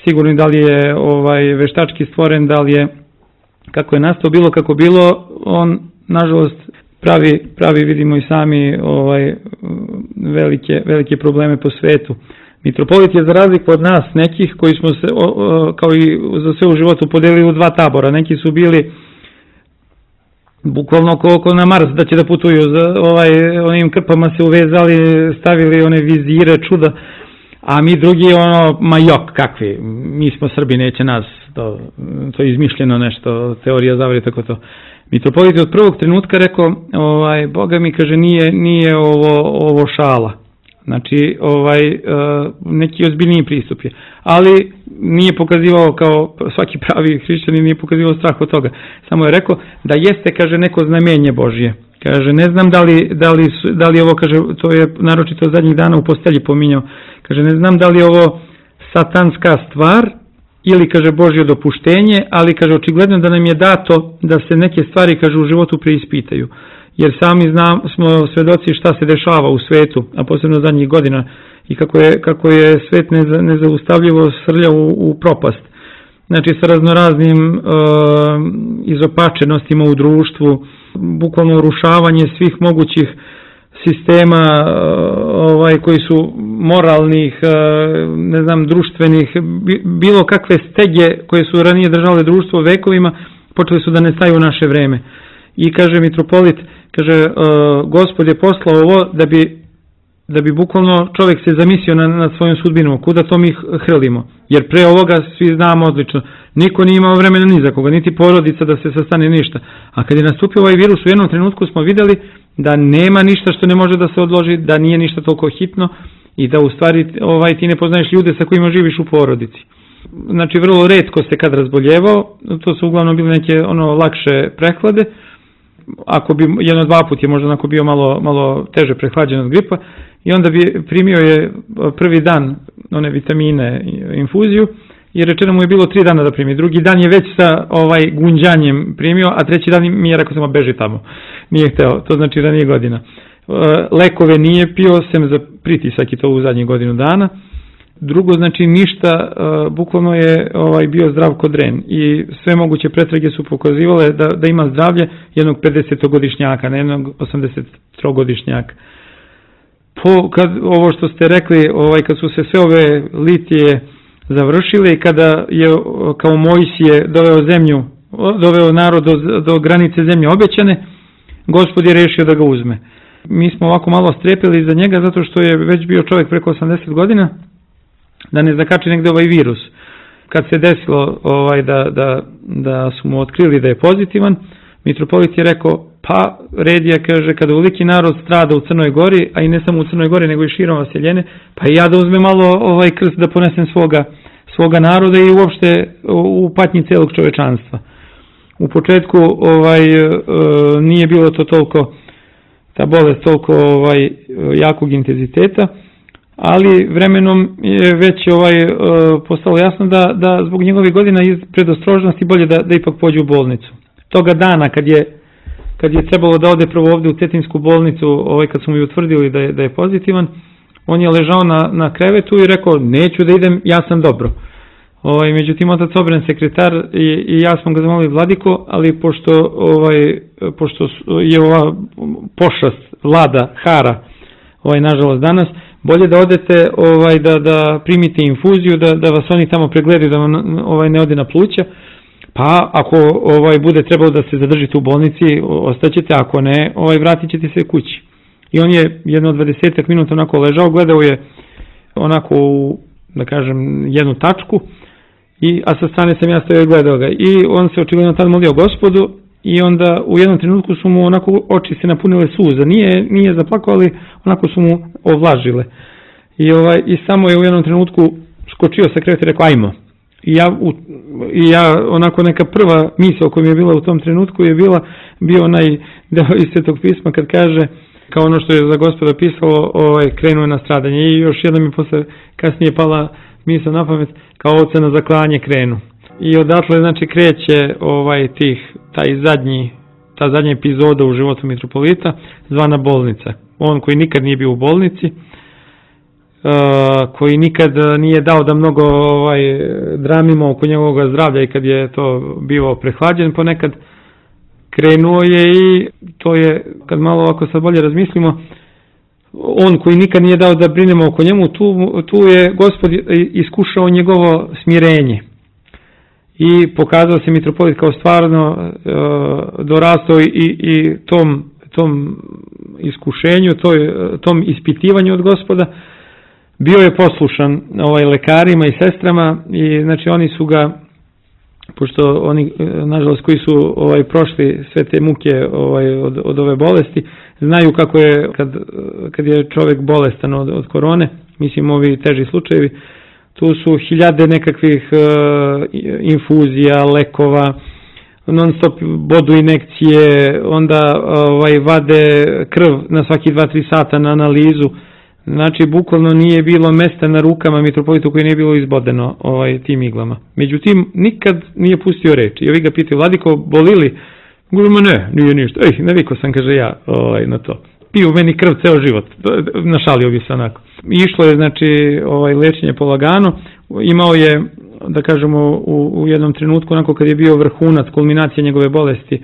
sigurni da li je veštački stvoren, da li je kako je nastao, bilo kako bilo, on nažalost pravi vidimo i sami velike probleme po svetu. Mitropolit je za razliku od nas nekih koji smo se kao i za sve u životu podelili u dva tabora. Neki su bili bukvalno oko na Mars da će da putuju, onim krpama se uvezali, stavili one vizire, čuda, a mi drugi kakvi, mi smo Srbi, neće nas, to je izmišljeno nešto, teorija zavere, tako to. Mitropolit je od prvog trenutka rekao, Boga mi kaže nije ovo šala, znači neki ozbiljniji pristup je, ali nije pokazivao kao svaki pravi hrišćanin, nije pokazivao strah od toga. Samo je rekao da jeste, kaže, neko znamenje Božje. Kaže, ne znam da li ovo, kaže, to je naročito zadnjih dana u postelji pominjao, kaže, ne znam da li je ovo satanska stvar ili, kaže, Božje dopuštenje, ali, kaže, očigledno da nam je dato da se neke stvari, kaže, u životu preispitaju. Jer sami smo svedoci šta se dešava u svetu, a posebno zadnjih godina, i kako je svet nezaustavljivo srlja u propast. Znači, sa raznoraznim izopačenostima u društvu, bukvalno urušavanje svih mogućih sistema koji su moralnih, društvenih, bilo kakve stege koje su ranije držale društvo vekovima, počeli su da nestaju u naše vreme. I kaže mitropolit, kaže, Gospod je poslao ovo da bi bukvalno čovjek se zamislio nad svojom sudbinom, kuda to mi hrlimo. Jer pre ovoga svi znamo odlično, niko nije imao vremena ni za koga, niti porodica da se sastane ništa. A kad je nastupio ovaj virus, u jednom trenutku smo vidjeli da nema ništa što ne može da se odloži, da nije ništa toliko hitno i da u stvari ti ne poznaješ ljude sa kojima živiš u porodici. Znači, vrlo retko se kad razboljevao, to su uglavnom bile neke lakše prehlade. Ako bi jedno dva put je možda onako bio malo teže prehlađen od gripa, i onda bi primio je prvi dan one vitamine, infuziju, i rečeno mu je bilo 3 dana da primi. Drugi dan je već sa gunđanjem primio, a treći dan mi je rekao samo beži tamo. Nije hteo, to znači ranije godina. Lekove nije pio, sem za pritisak i to u zadnjih godinu dana. Drugo, znači ništa, bukvalno je bio zdrav kod dren i sve moguće pretrage su pokazivale da ima zdravlje jednog 50-godišnjaka, ne jednog 83-godišnjaka. Kad ovo što ste rekli, kad su se sve ove litije završile i kada je kao Mojsije doveo narod do granice zemlje obećane, Gospod je rešio da ga uzme. Mi smo ovako malo strepili za njega zato što je već bio čovjek preko 80 godina, da ne zakači negde ovaj virus. Kad se desilo da su mu otkrili da je pozitivan, mitropolit je rekao, pa red je, kaže, kada uliki narod strada u Crnoj Gori, a i ne samo u Crnoj Gori, nego i širom vaseljene, pa i ja da uzmem malo krst da ponesem svoga naroda i uopšte u patnji celog čovečanstva. U početku nije bilo to toliko, ta bolest toliko jakog intenziteta, ali vremenom je već postalo jasno da zbog njegovih godina iz predostrožnosti bolje da ipak pođe u bolnicu. Toga dana kad je trebalo da ode prvo ovde u Cetinsku bolnicu, kad su mu utvrdili da je pozitivan, on je ležao na krevetu i rekao, neću da idem, ja sam dobro. Međutim, otac Obren, sekretar, i ja smo ga zamolili, Vladiko, ali pošto je ova pošast vlada, hara, nažalost danas, bolje da odete da primite infuziju, da vas oni tamo pregledaju, da vam ne ode na pluća, pa ako bude trebalo da se zadržite u bolnici, ostaćete, ako ne, vratit ćete se kući. I on je jedno 20 minuta onako ležao, gledao je onako u, da kažem, jednu tačku, a sa strane sam ja stojao i gledao ga. I on se očigledno tad molio Gospodu i onda u jednom trenutku su mu onako oči se napunile suza. Nije zaplakao, ali onako su mu ovlažile. I samo je u jednom trenutku skočio sa kreveta i rekao, ajmo. I ja onako neka prva misao koja mi je bila u tom trenutku je bio onaj deo iz Svetog pisma kad kaže, kao ono što je za Gospoda pisalo, krenuo na stradanje. I još jedna mi posle kasnije pala misao na pamet, kao oca na zaklanje krenu. I odatle znači kreće ta zadnja epizoda u životu mitropolita, zvana bolnica. On koji nikad nije bio u bolnici, koji nikad nije dao da mnogo dramimo oko njegovog zdravlja i kad je to bio prehlađen ponekad, krenuo je i to je, kad malo ovako sad bolje razmislimo, on koji nikad nije dao da brinemo oko njemu, tu je Gospod iskušao njegovo smirenje i pokazao se mitropolit kao stvarno dorastao i tom iskušenju, tom ispitivanju od Gospoda. Bio je poslušan lekarima i sestrama i znači oni su ga, pošto oni nažalost koji su prošli sve te muke od ove bolesti, znaju kako je kad je čovjek bolestan od korone, mislim ovi teži slučajevi, tu su hiljade nekakvih infuzija, lekova, non stop bodu injekcije, onda vade krv na svaki 2-3 sata na analizu. Znači, bukvalno nije bilo mesta na rukama mitropolitu koje nije bilo izbodeno tim iglama. Međutim, nikad nije pustio reč. I ovi ga pitaju, Vladiko, boli li? Govorimo, ne, nije ništa. Navikao sam, kaže ja, na to. Piju meni krv ceo život. Našalio bi se onako. Išlo je, znači, lečenje polagano. Imao je, da kažemo, u jednom trenutku, onako kad je bio vrhunac, kulminacija njegove bolesti,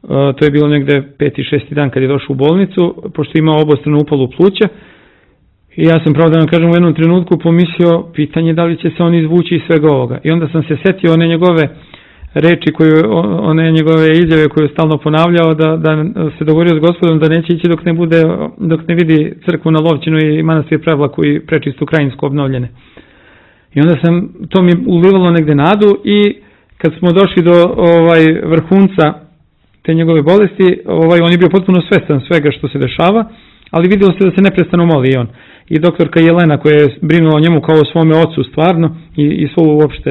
to je bilo negde 5. 6. dan kad je došao u bolnicu, pošto je imao obostranu upalu pluća. I ja sam pravo da vam kažem u jednom trenutku pomislio pitanje da li će se on izvući iz svega ovoga. I onda sam se setio one njegove reči, one njegove izjave koje je stalno ponavljao, da se dogovorio s Gospodom da neće ići dok ne vidi crkvu na Lovćinu i manastir Prevlaku i prečistu Krajinsku obnovljene. I onda to mi ulivalo negde nadu i kad smo došli do vrhunca te njegove bolesti, on je bio potpuno svestan svega što se dešava, ali vidjelo se da se neprestano moli i on. I doktorka Jelena koja je brinula o njemu kao o svome ocu stvarno i svo uopšte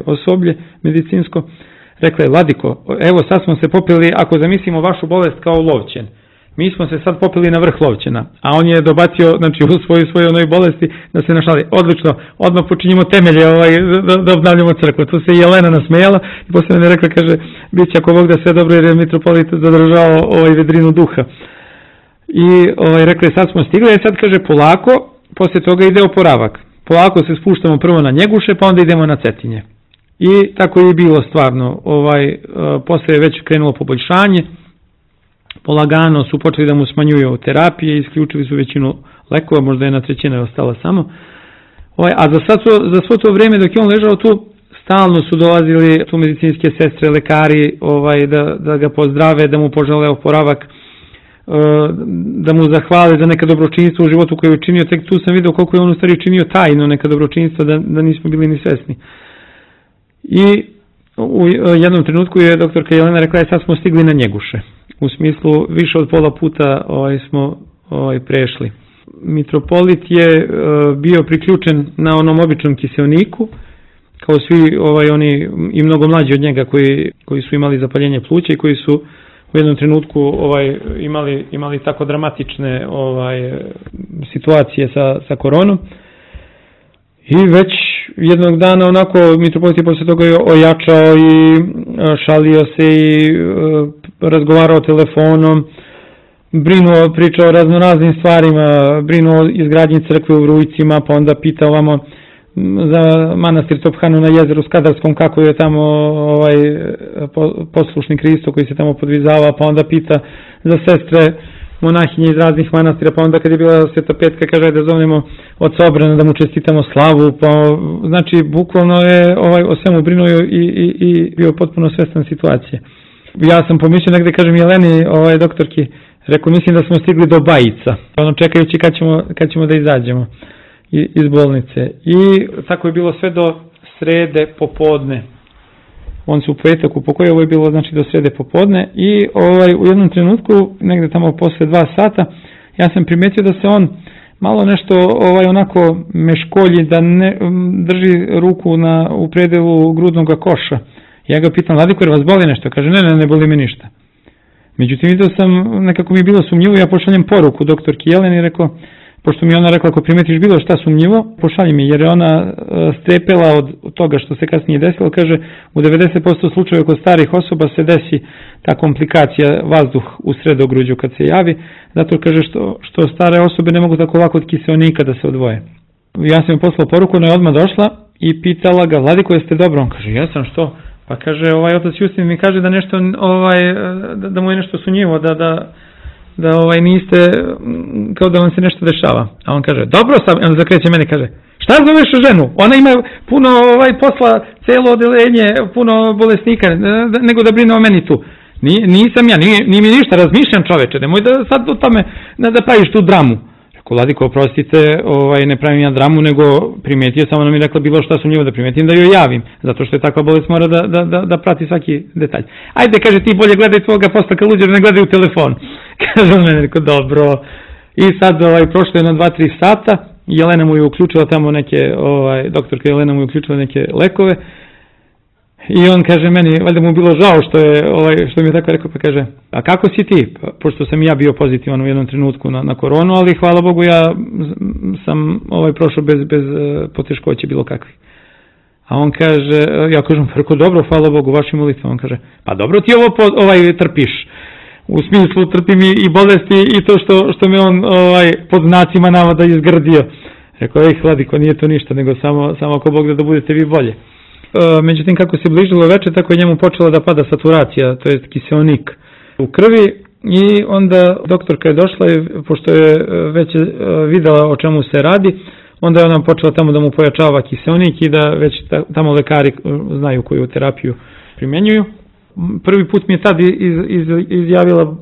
osoblje medicinsko, rekla je, Vladiko, evo sad smo se popili, ako zamislimo vašu bolest kao Lovćen, mi smo se sad popili na vrh Lovćena, a on je dobacio, znači u svojoj onoj bolesti da se našali, odlično, odmah počinjemo temelje da obnavljamo crkvu. Tu se Jelena nasmejala i posle mene rekla, kaže, bit će ako Bog da sve dobro jer je mitropolit zadržao vedrinu duha. I rekla je, sad smo stigli, a sad kaže polako, posle toga ide oporavak. Polako se spuštamo prvo na Njeguše, pa onda idemo na Cetinje. I tako je bilo stvarno. Posle je već krenulo poboljšanje, polagano su počeli da mu smanjuju terapije, isključili su većinu lekova, možda je 1/3 ostala samo. A za svo to vreme dok je on ležao tu, stalno su dolazili tu medicinske sestre, lekari, da ga pozdrave, da mu požele oporavak, da mu zahvale za neka dobročinjstva u životu koje je učinio. Tek tu sam vidio koliko je on u stvari činio tajno neka dobročinjstva da nismo bili ni svesni. I u jednom trenutku je doktorka Jelena rekla, sad smo stigli na Njeguše. U smislu više od pola puta smo prešli. Mitropolit je bio priključen na onom običnom kiseoniku, kao svi oni i mnogo mlađi od njega koji su imali zapaljenje pluća i koji su u jednom trenutku imali tako dramatične situacije sa koronom. I već jednog dana onako mitropolit je posle toga ojačao i šalio se i razgovarao telefonom, pričao o raznoraznim stvarima, brinuo o izgradnji crkve u Vrujcima, pa onda pitao ovamo za manastir Tophanu na jezeru Skadarskom, kako je tamo poslušni Hristo koji se tamo podvizava, pa onda pita za sestre monahinje iz raznih manastira, pa onda kad je bila Sveta Petka kaže da zovemo oca Obrana da mu čestitamo slavu, pa znači bukvalno je o svemu brinuo i bio potpuno svestan situacije. Ja sam pomislio negde, kažem Jeleni, doktorki, rekao mislim da smo stigli do Bajica, čekajući kad ćemo da izađemo iz bolnice. I tako je bilo sve do srede popodne. On se u petak upokojio, ovo je bilo znači do srede popodne i u jednom trenutku, negde tamo posle 2 sata, ja sam primetio da se on malo nešto onako meškolji, da ne drži ruku u predelu grudnog koša. Ja ga pitam, Vladiko, jer vas boli nešto? Kaže, ne boli me ništa. Međutim, vidio sam, nekako mi je bilo sumnjivo, ja pošaljem poruku doktorki Jeleni i rekao, pošto mi ona rekla, ako primetiš bilo šta sumnjivo, pošalji mi, jer je ona strepela od toga što se kasnije desilo. Kaže, u 90% slučajeva kod starih osoba se desi ta komplikacija, vazduh u sredogruđu kad se javi, zato kaže što stare osobe ne mogu tako lako od kiseonika da se odvoje. Ja sam joj poslao poruku, ona je odmah došla i pitala ga, Vladiko, jeste dobro? On kaže, jesam, što? Pa kaže, otac Justin mi kaže da nešto, da mu je nešto sumnjivo, da niste, kao da vam se nešto dešava. A on kaže, dobro sam, on zakreće meni, kaže, šta zoveš ženu? Ona ima puno posla, celo odeljenje, puno bolesnika, nego da brine o meni tu. Nisam ja, nije mi ništa, razmišljam čoveče, nemoj da sad o tome, da praviš tu dramu. Rekao, Vladiko, oprostite, ne pravim ja dramu, nego primetio sam, ona mi rekla bilo šta sumnjivo da primetim, da joj javim, zato što je takva bolest mora da prati svaki detalj. Ajde, kaže, ti bolje gledaj svoga posla ka luđer, ne gledaj u telefon. Kaže on meni, rekao, dobro. I sad prošlo je na 2-3 sata Jelena mu je uključila tamo neke, doktorka Jelena mu je uključila neke lekove i on kaže meni, valjda mu bilo žao što mi je tako rekao, pa kaže, a kako si ti? Pošto sam ja bio pozitivan u jednom trenutku na koronu, ali hvala Bogu ja sam prošao bez poteškoće bilo kakvih. A on kaže, ja kažem, preko dobro, hvala Bogu, vašim molitvama. On kaže, pa dobro ti ovo trpiš. U smislu trpim i bolesti i to što me on pod znacima navoda izgrdio. Rekao, Vladiko, nije to ništa, nego samo ako Bog da budete vi bolje. Međutim, kako se bližilo večer, tako je njemu počela da pada saturacija, to je kiseonik u krvi i onda doktorka je došla i pošto je već videla o čemu se radi, onda je ona počela tamo da mu pojačava kiseonik i da već tamo lekari znaju koju terapiju primjenjuju. Prvi put mi je tad izjavila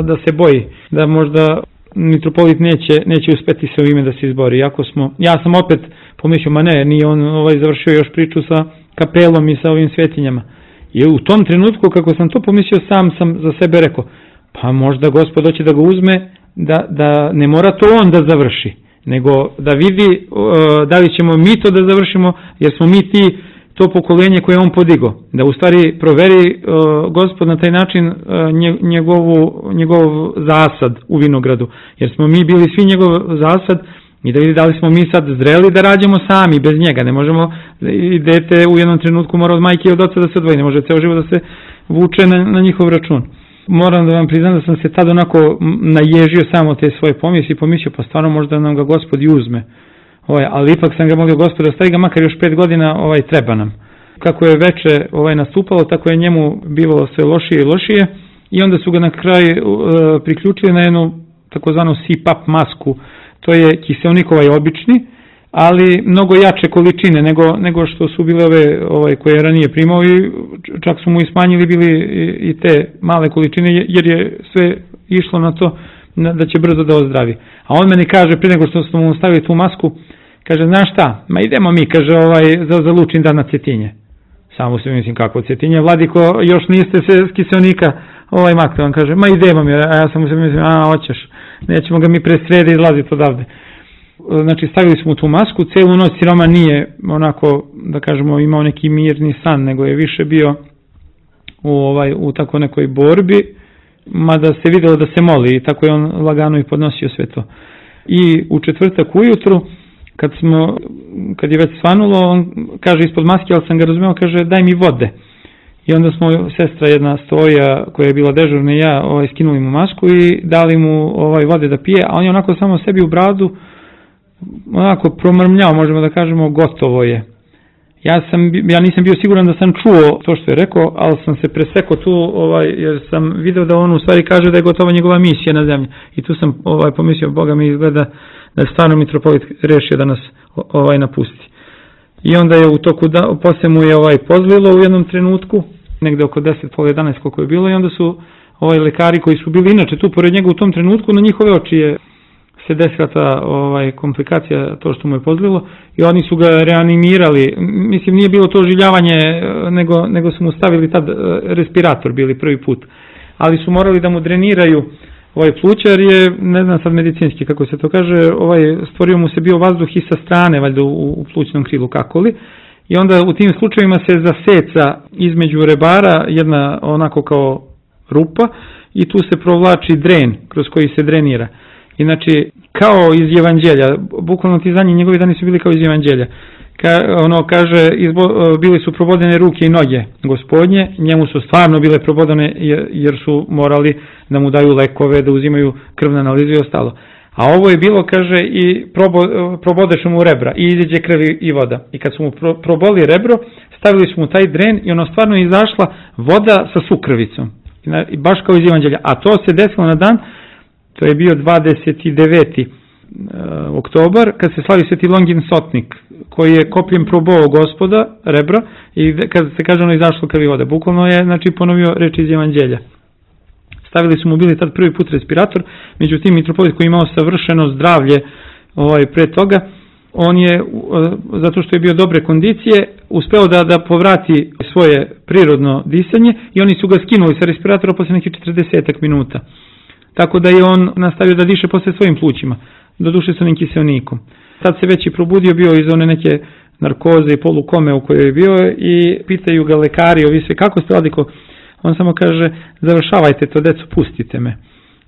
da se boji, da možda mitropolit neće uspeti se u ime da se izbori. Ja sam opet pomislio, ma ne, nije on završio još priču sa kapelom i sa ovim svetinjama. I u tom trenutku kako sam to pomislio, sam za sebe rekao, pa možda Gospod hoće da ga uzme, da ne mora to on da završi, nego da vidi da li ćemo mi to da završimo, jer smo mi to pokolenje koje on podigao. Da u stvari proveri Gospod na taj način njegov zasad u vinogradu, jer smo mi bili svi njegov zasad i da vidi da li smo mi sad zreli da rađemo sami, bez njega. Ne možemo, i dete u jednom trenutku mora od majke i od oca da se odvoji, ne može ceo život da se vuče na njihov račun. Moram da vam priznam da sam se tad onako naježio samo te svoje pomisli i pomislio, pa stvarno možda nam ga Gospod i uzme. Ali ipak sam ga molio Gospoda, stavi ga makar još 5 godina, treba nam. Kako je veče nastupalo, tako je njemu bivalo sve lošije i lošije i onda su ga na kraj priključili na jednu takozvanu CPAP masku. To je kiseonik obični, ali mnogo jače količine nego što su bile ove koje je ranije primao i čak su mu i smanjili bili i te male količine jer je sve išlo na to da će brzo da ozdravi. A on meni kaže, prije nego što smo mu stavili tu masku, kaže, znaš šta, ma idemo mi, kaže, za Lučin dan na Cetinje. Samo se mislim kako Cetinje, Vladiko, još niste se s kiseonika makli. On kaže, ma idemo mi, a ja sam se mislim, hoćeš, nećemo ga mi pre srede izlaziti odavde. Znači, stavili smo tu masku, celu noć siroma nije onako, da kažemo, imao neki mirni san, nego je više bio u tako nekoj borbi, mada se vidjelo da se moli i tako je on lagano i podnosio sve to. I u četvrtak ujutru, kad je već svanulo, on kaže ispod maske, ali sam ga razumeo, kaže daj mi vode. I onda smo, sestra jedna Stoja koja je bila dežurna i ja, skinuli mu masku i dali mu vode da pije, a on je onako samo sebi u bradu onako promrmljao, možemo da kažemo, gotovo je. Ja nisam bio siguran da sam čuo to što je rekao, ali sam se presekao tu, jer sam video da on u stvari kaže da je gotova njegova misija na zemlji. I tu sam pomislio, Boga mi izgleda da je stvarno mitropolit rešio da nas napusti. I onda je u toku, posle mu je pozlilo u jednom trenutku, negde oko 10:30 koliko je bilo, i onda su lekari koji su bili inače tu pored njega u tom trenutku, na njihove oči je se desila ta komplikacija, to što mu je pozlilo, i oni su ga reanimirali. Mislim, nije bilo to oživljavanje, nego su mu stavili tad respirator, bili prvi put. Ali su morali da mu dreniraju plućar, je, ne znam sad medicinski kako se to kaže, stvorio mu se bio vazduh i sa strane, valjda u plućnom krilu, kako li. I onda u tim slučajevima se zaseca između rebara jedna onako kao rupa i tu se provlači dren kroz koji se drenira. Inači, kao iz Evanđelja, bukvalno ti zadnji njegovi dani su bili kao iz Evanđelja. Kaže, bili su probodene ruke i noge Gospodnje, njemu su stvarno bile probodene jer su morali da mu daju lekove, da uzimaju krvne analize i ostalo. A ovo je bilo, kaže, i probodeše mu rebra i izađe krv i voda. I kad su mu proboli rebro, stavili su mu taj dren i ono stvarno izašla voda sa sukrvicom. Baš kao iz Evanđelja. A to se desilo na dan, to je bio 29. oktobar, kad se slavi Sveti Longin Sotnik, koji je kopljem probao Gospoda, rebra, i kad se kaže ono izašlo krv i voda. Bukvalno je, znači, ponovio reči iz Evanđelja. Stavili su mu bili tad prvi put respirator, međutim mitropolit koji je imao savršeno zdravlje pre toga, on je, zato što je bio dobre kondicije, uspeo da povrati svoje prirodno disanje i oni su ga skinuli sa respiratora posle nekih 40 minuta. Tako da je on nastavio da diše posle svojim plućima. doduše sa onim kiseonikom. Tad se već i probudio bio iz one neke narkoze i polukome u kojoj je bio i pitaju ga lekari, ovi sve, kako ste Vladiko? On samo kaže, završavajte to, deco, pustite me.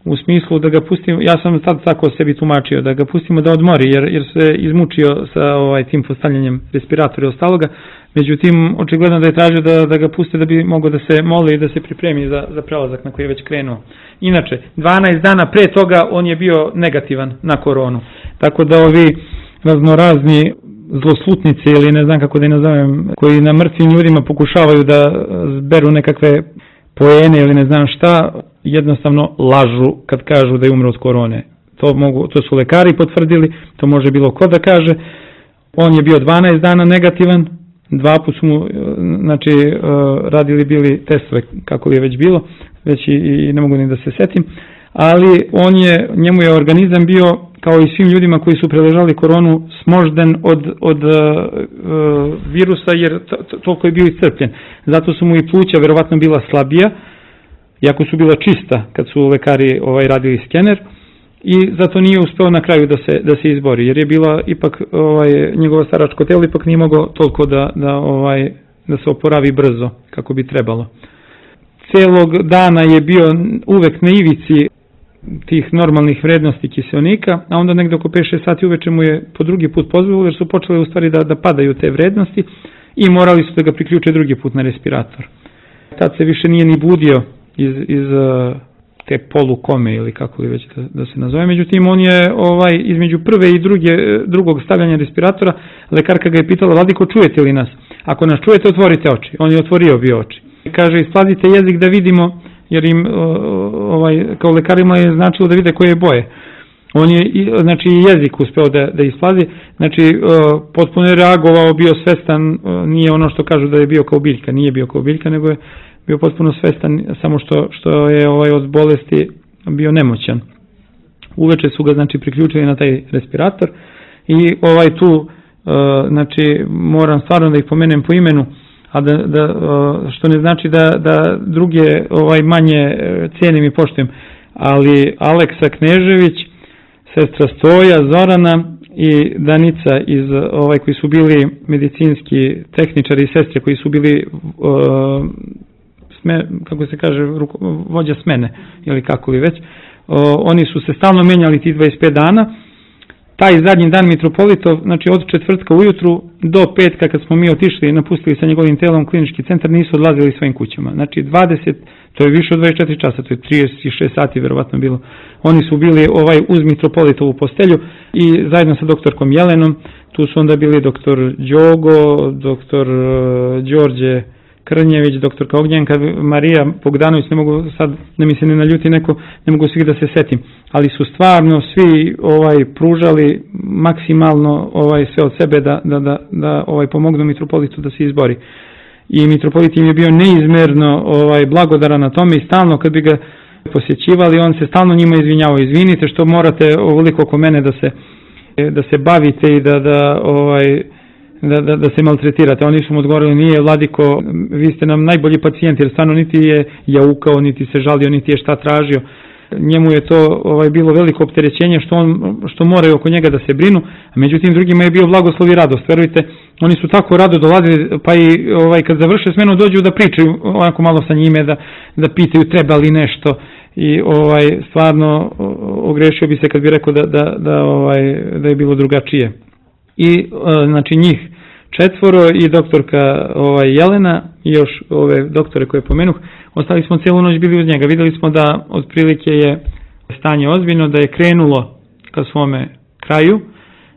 U smislu da ga pustimo, ja sam sad tako sebi tumačio, da ga pustimo da odmori, jer se izmučio sa tim postavljanjem respiratora i ostaloga. Međutim, očigledno da je tražio da ga puste da bi mogao da se moli i da se pripremi za prelazak na koji je već krenuo. Inače, 12 dana pre toga on je bio negativan na koronu. Tako da ovi raznorazni zloslutnici ili ne znam kako da je nazovem, koji na mrtvim ljudima pokušavaju da zberu nekakve poene ili ne znam šta, jednostavno lažu kad kažu da je umro od korone. To su lekari potvrdili, to može bilo ko da kaže. On je bio 12 dana negativan, 2 put su mu radili bili testove kako li je već bilo, već i ne mogu ni da se setim, ali njemu je organizam bio kao i svim ljudima koji su preležali koronu smožden od virusa, jer toliko je bio iscrpljen. Zato su mu i pluća verovatno bila slabija, iako su bila čista kad su lekari radili skener, i zato nije uspeo na kraju da se izbori, jer je bila ipak njegovo staračko telo ipak nije moglo toliko da se oporavi brzo kako bi trebalo. Celog dana je bio uvek na ivici tih normalnih vrednosti kiseonika, a onda negde oko 5-6 sati uveče mu je po drugi put pozvalo, jer su počele u stvari da padaju te vrednosti i morali su da ga priključe drugi put na respirator. Tad se više nije ni budio iz te polukome ili kako li već da se nazove. Međutim, on je između prve i drugog stavljanja respiratora, lekarka ga je pitala, Vladiko, čujete li nas? Ako nas čujete, otvorite oči. On je otvorio bio oči. Kaže, isplazite jezik da vidimo, jer im kao lekarima je značilo da vide koje je boje. On je jezik uspeo da isplazi, potpuno je reagovao, bio svestan, nije ono što kažu da je bio kao biljka, nije bio kao biljka, nego je bio potpuno svestan, samo što je od bolesti bio nemoćan. Uveče su ga priključili na taj respirator i tu moram stvarno da ih pomenem po imenu, a što ne znači da druge manje cijenim i poštujem, ali Aleksa Knežević, sestra Stoja, Zorana i Danica koji su bili medicinski tehničari i sestre koji su bili kako se kaže, vođa smene ili kako li već, oni su se stalno menjali tih 25 dana. Taj zadnji dan mitropolitov, od četvrtka ujutru do petka kad smo mi otišli i napustili sa njegovim telom klinički centar, nisu odlazili svojim kućama. To je više od 24 časa, to je 36 sati verovatno bilo. Oni su bili uz mitropolitovu postelju i zajedno sa doktorkom Jelenom, tu su onda bili doktor Đogo, doktor Đorđe Krnjević, doktorka Ognjenka, Marija Bogdanović, ne mogu sad da mi se ne naljuti neko, ne mogu svih da se setim, ali su stvarno svi pružali maksimalno sve od sebe da pomognu mitropolitu da se izbori. I mitropolit im je bio neizmerno blagodaran na tome i stalno kad bi ga posjećivali, on se stalno njima izvinjavao, izvinite što morate ovoliko oko mene da se bavite i da se maltretirate. Oni su mu odgovorili, nije Vladiko, vi ste nam najbolji pacijent, jer stvarno niti je jaukao, niti se žalio, niti je šta tražio. Njemu je to bilo veliko opterećenje što moraju oko njega da se brinu, a međutim drugima je bio blagoslov i radost. Verujte, oni su tako rado dolazili, pa i kad završe smenu dođu da pričaju onako malo sa njime, da pitaju treba li nešto i stvarno ogrešio bi se kad bi rekao da je bilo drugačije. I njih 4 i doktorka Jelena i još ove doktore koje pomenuh, ostali smo cijelu noć bili uz njega. Videli smo da otprilike je stanje ozbiljno, da je krenulo ka svome kraju,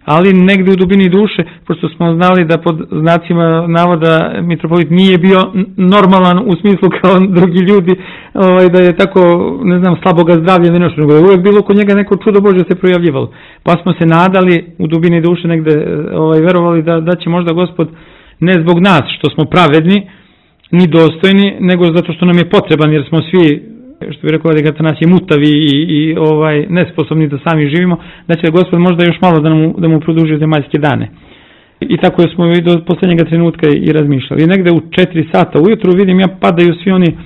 ali negde u dubini duše, pošto smo znali da pod znacima navoda mitropolit nije bio normalan u smislu kao drugi ljudi, da je tako, ne znam, slaboga zdravlja ili nešto, nego je uvijek bilo kod njega neko čudo Božje se projavljivalo. Pa smo se nadali u dubini duše negde, verovali da će možda Gospod, ne zbog nas što smo pravedni, ni dostojni, nego zato što nam je potreban, jer smo svi, što bi rekao da nas je mutavi i nesposobni da sami živimo, da će Gospod možda još malo da mu produži zemaljske dane. I tako smo i do posljednjega trenutka i razmišljali. I negde u 4 sata ujutru vidim ja padaju svi oni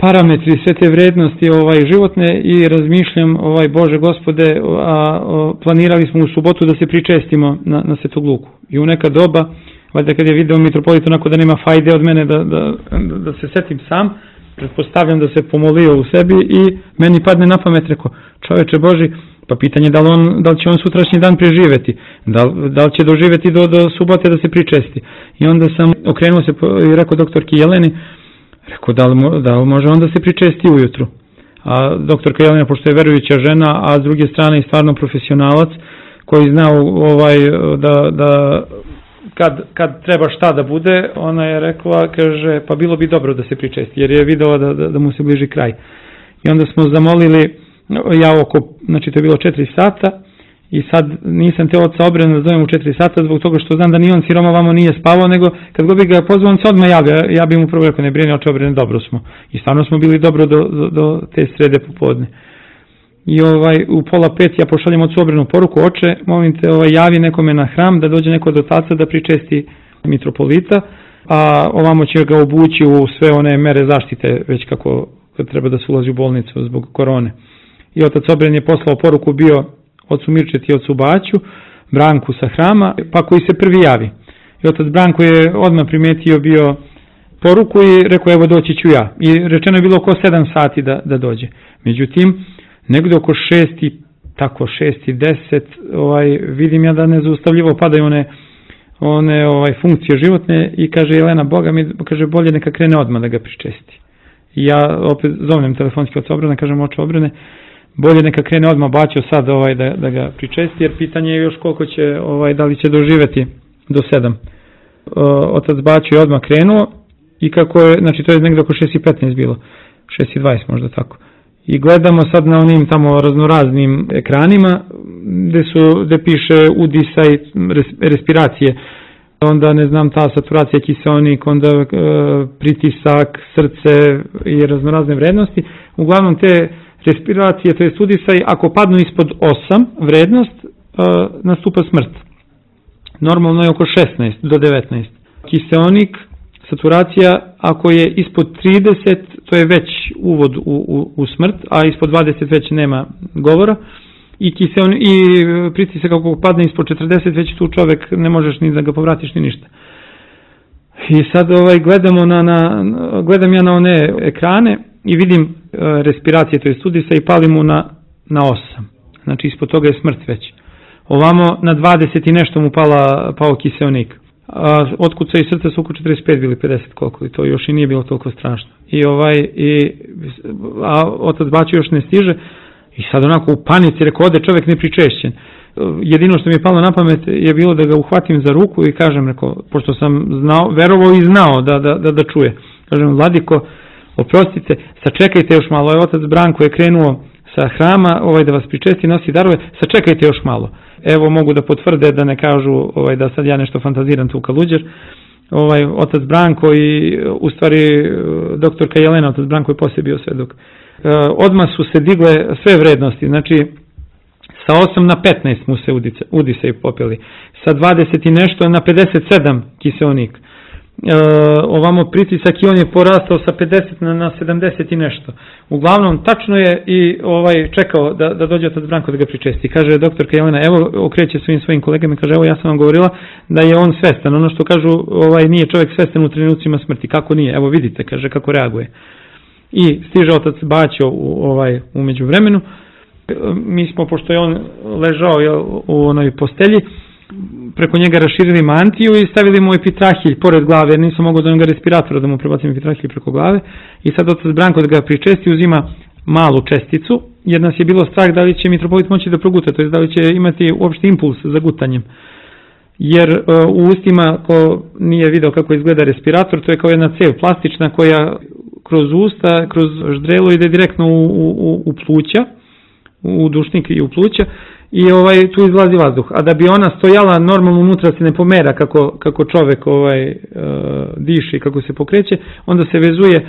parametri, sve te vrednosti životne i razmišljam, Bože Gospode, planirali smo u subotu da se pričestimo na Svetog Luku. I u neka doba, valjda kad je video mitropolit onako da nema fajde od mene da se setim sam, pretpostavljam da se pomolio u sebi i meni padne na pamet, rekao, čoveče Boži, pa pitanje da li će on sutrašnji dan preživeti, da li će doživeti do subote da se pričesti. I onda sam okrenuo se i rekao doktorki Jeleni, rekao da li može on da se pričesti ujutru. A doktorka Jelena, pošto je verujuća žena, a s druge strane i stvarno profesionalac, koji zna da kad treba šta da bude, ona je rekla, kaže, pa bilo bi dobro da se pričesti, jer je videla da mu se bliži kraj. I onda smo zamolili, znači to je bilo 4 sata, i sad nisam te oca Obrena da zovem u 4 sata, zbog toga što znam da ni on siroma vamo nije spavao, nego kad god bi ga pozvao, on se odmah javio, ja bi mu prvo rekao, ne brini oče Obrene, dobro smo. I stvarno smo bili dobro do te srede popodne. I u 4:30 ja pošaljem ocu Obrenu poruku, oče, molim te, javi nekome na hram, da dođe neko od otaca da pričesti mitropolita, a ovamo će ga obući u sve one mere zaštite, već kako treba da se ulazi u bolnicu zbog korone. I otac Obren je poslao poruku bio ocu Mirčeti i ocu Baću, Branku sa hrama, pa koji se prvi javi. I otac Branko je odmah primetio bio poruku i rekao, evo doći ću ja. I rečeno je bilo oko 7 sati da dođe. Međutim, negdje oko 6:10, vidim ja da nezaustavljivo padaju one funkcije životne i kaže Jelena, Boga mi, kaže, bolje neka krene odmah da ga pričesti. I ja opet zovnem telefonski oca Obrena, kažem, oče Obrene, bolje neka krene odmah Baćo sad da ga pričesti, jer pitanje je još koliko će, da li će doživeti do 7. Otac Baćo je odmah krenuo i kako je, znači to je negdje oko 6:15 bilo, 6:20 možda tako. I gledamo sad na onim tamo raznoraznim ekranima gde piše udisaj, respiracije, onda ne znam, ta saturacija, kiseonik, onda pritisak, srce i raznorazne vrednosti. Uglavnom te respiracije, to je udisaj, ako padnu ispod 8 vrednost, nastupa smrt. Normalno je oko 16 do 19. Kiseonik, saturacija, ako je ispod 30, to je već uvod u smrt, a ispod 20 već nema govora. I pritisak ako padne ispod 40, već tu čovek ne možeš ni da ga povratiš ni ništa. I sad gledam ja na one ekrane i vidim respiracije, to je udisaj, i pali mu na 8. Znači ispod toga je smrt već. Ovamo na 20 i nešto mu pao kiseonik. Otkuca i srce su oko 45 bili 50 koliko, i to još i nije bilo toliko strašno. A otac Baćo još ne stiže i sad onako u panici rekao, ode čovjek nepričešćen. Jedino što mi je palo na pamet je bilo da ga uhvatim za ruku i kažem, rekao, pošto sam verovao i znao da čuje. Kažem, Vladiko, oprostite, sačekajte još malo. Otac Branko je krenuo sa hrama da vas pričesti, nosi darove, sačekajte još malo. Evo, mogu da potvrde, da ne kažu da sad ja nešto fantaziram tu kaluđer. Otac Branko i u stvari doktorka Jelena, otac Branko je poslije bio svedok. Odmah su se digle sve vrednosti, znači sa 8 na 15 mu se udisaju popeli, sa 20 i nešto na 57 kiseonik. Ovamo pritisak i on je porastao sa 50 na 70 i nešto. Uglavnom, tačno je i čekao da dođe otac Branko da ga pričesti. Kaže doktorka Jelena, evo, okreće svojim kolegama i kaže, evo, ja sam vam govorila da je on svestan. Ono što kažu, nije čovjek svestan u trenucima smrti. Kako nije? Evo, vidite, kaže, kako reaguje. I stiže otac Baćo u međuvremenu. Mi smo, pošto je on ležao u onoj postelji, preko njega raširili mantiju i stavili mu epitrahilj pored glave, jer nisam mogao do njega respiratora da mu prebacim epitrahilj preko glave. I sad otac Branko da ga pričesti uzima malu česticu, jer nas je bilo strah da li će mitropolit moći da proguta, to je da li će imati uopšte impuls za gutanjem. Jer u ustima, ko nije video kako izgleda respirator, to je kao jedna cev plastična koja kroz usta, kroz ždrelo ide direktno u pluća, u dušnik i u pluća, i tu izlazi vazduh. A da bi ona stojala normalno unutra, se ne pomera kako čovek diše i kako se pokreće, onda se vezuje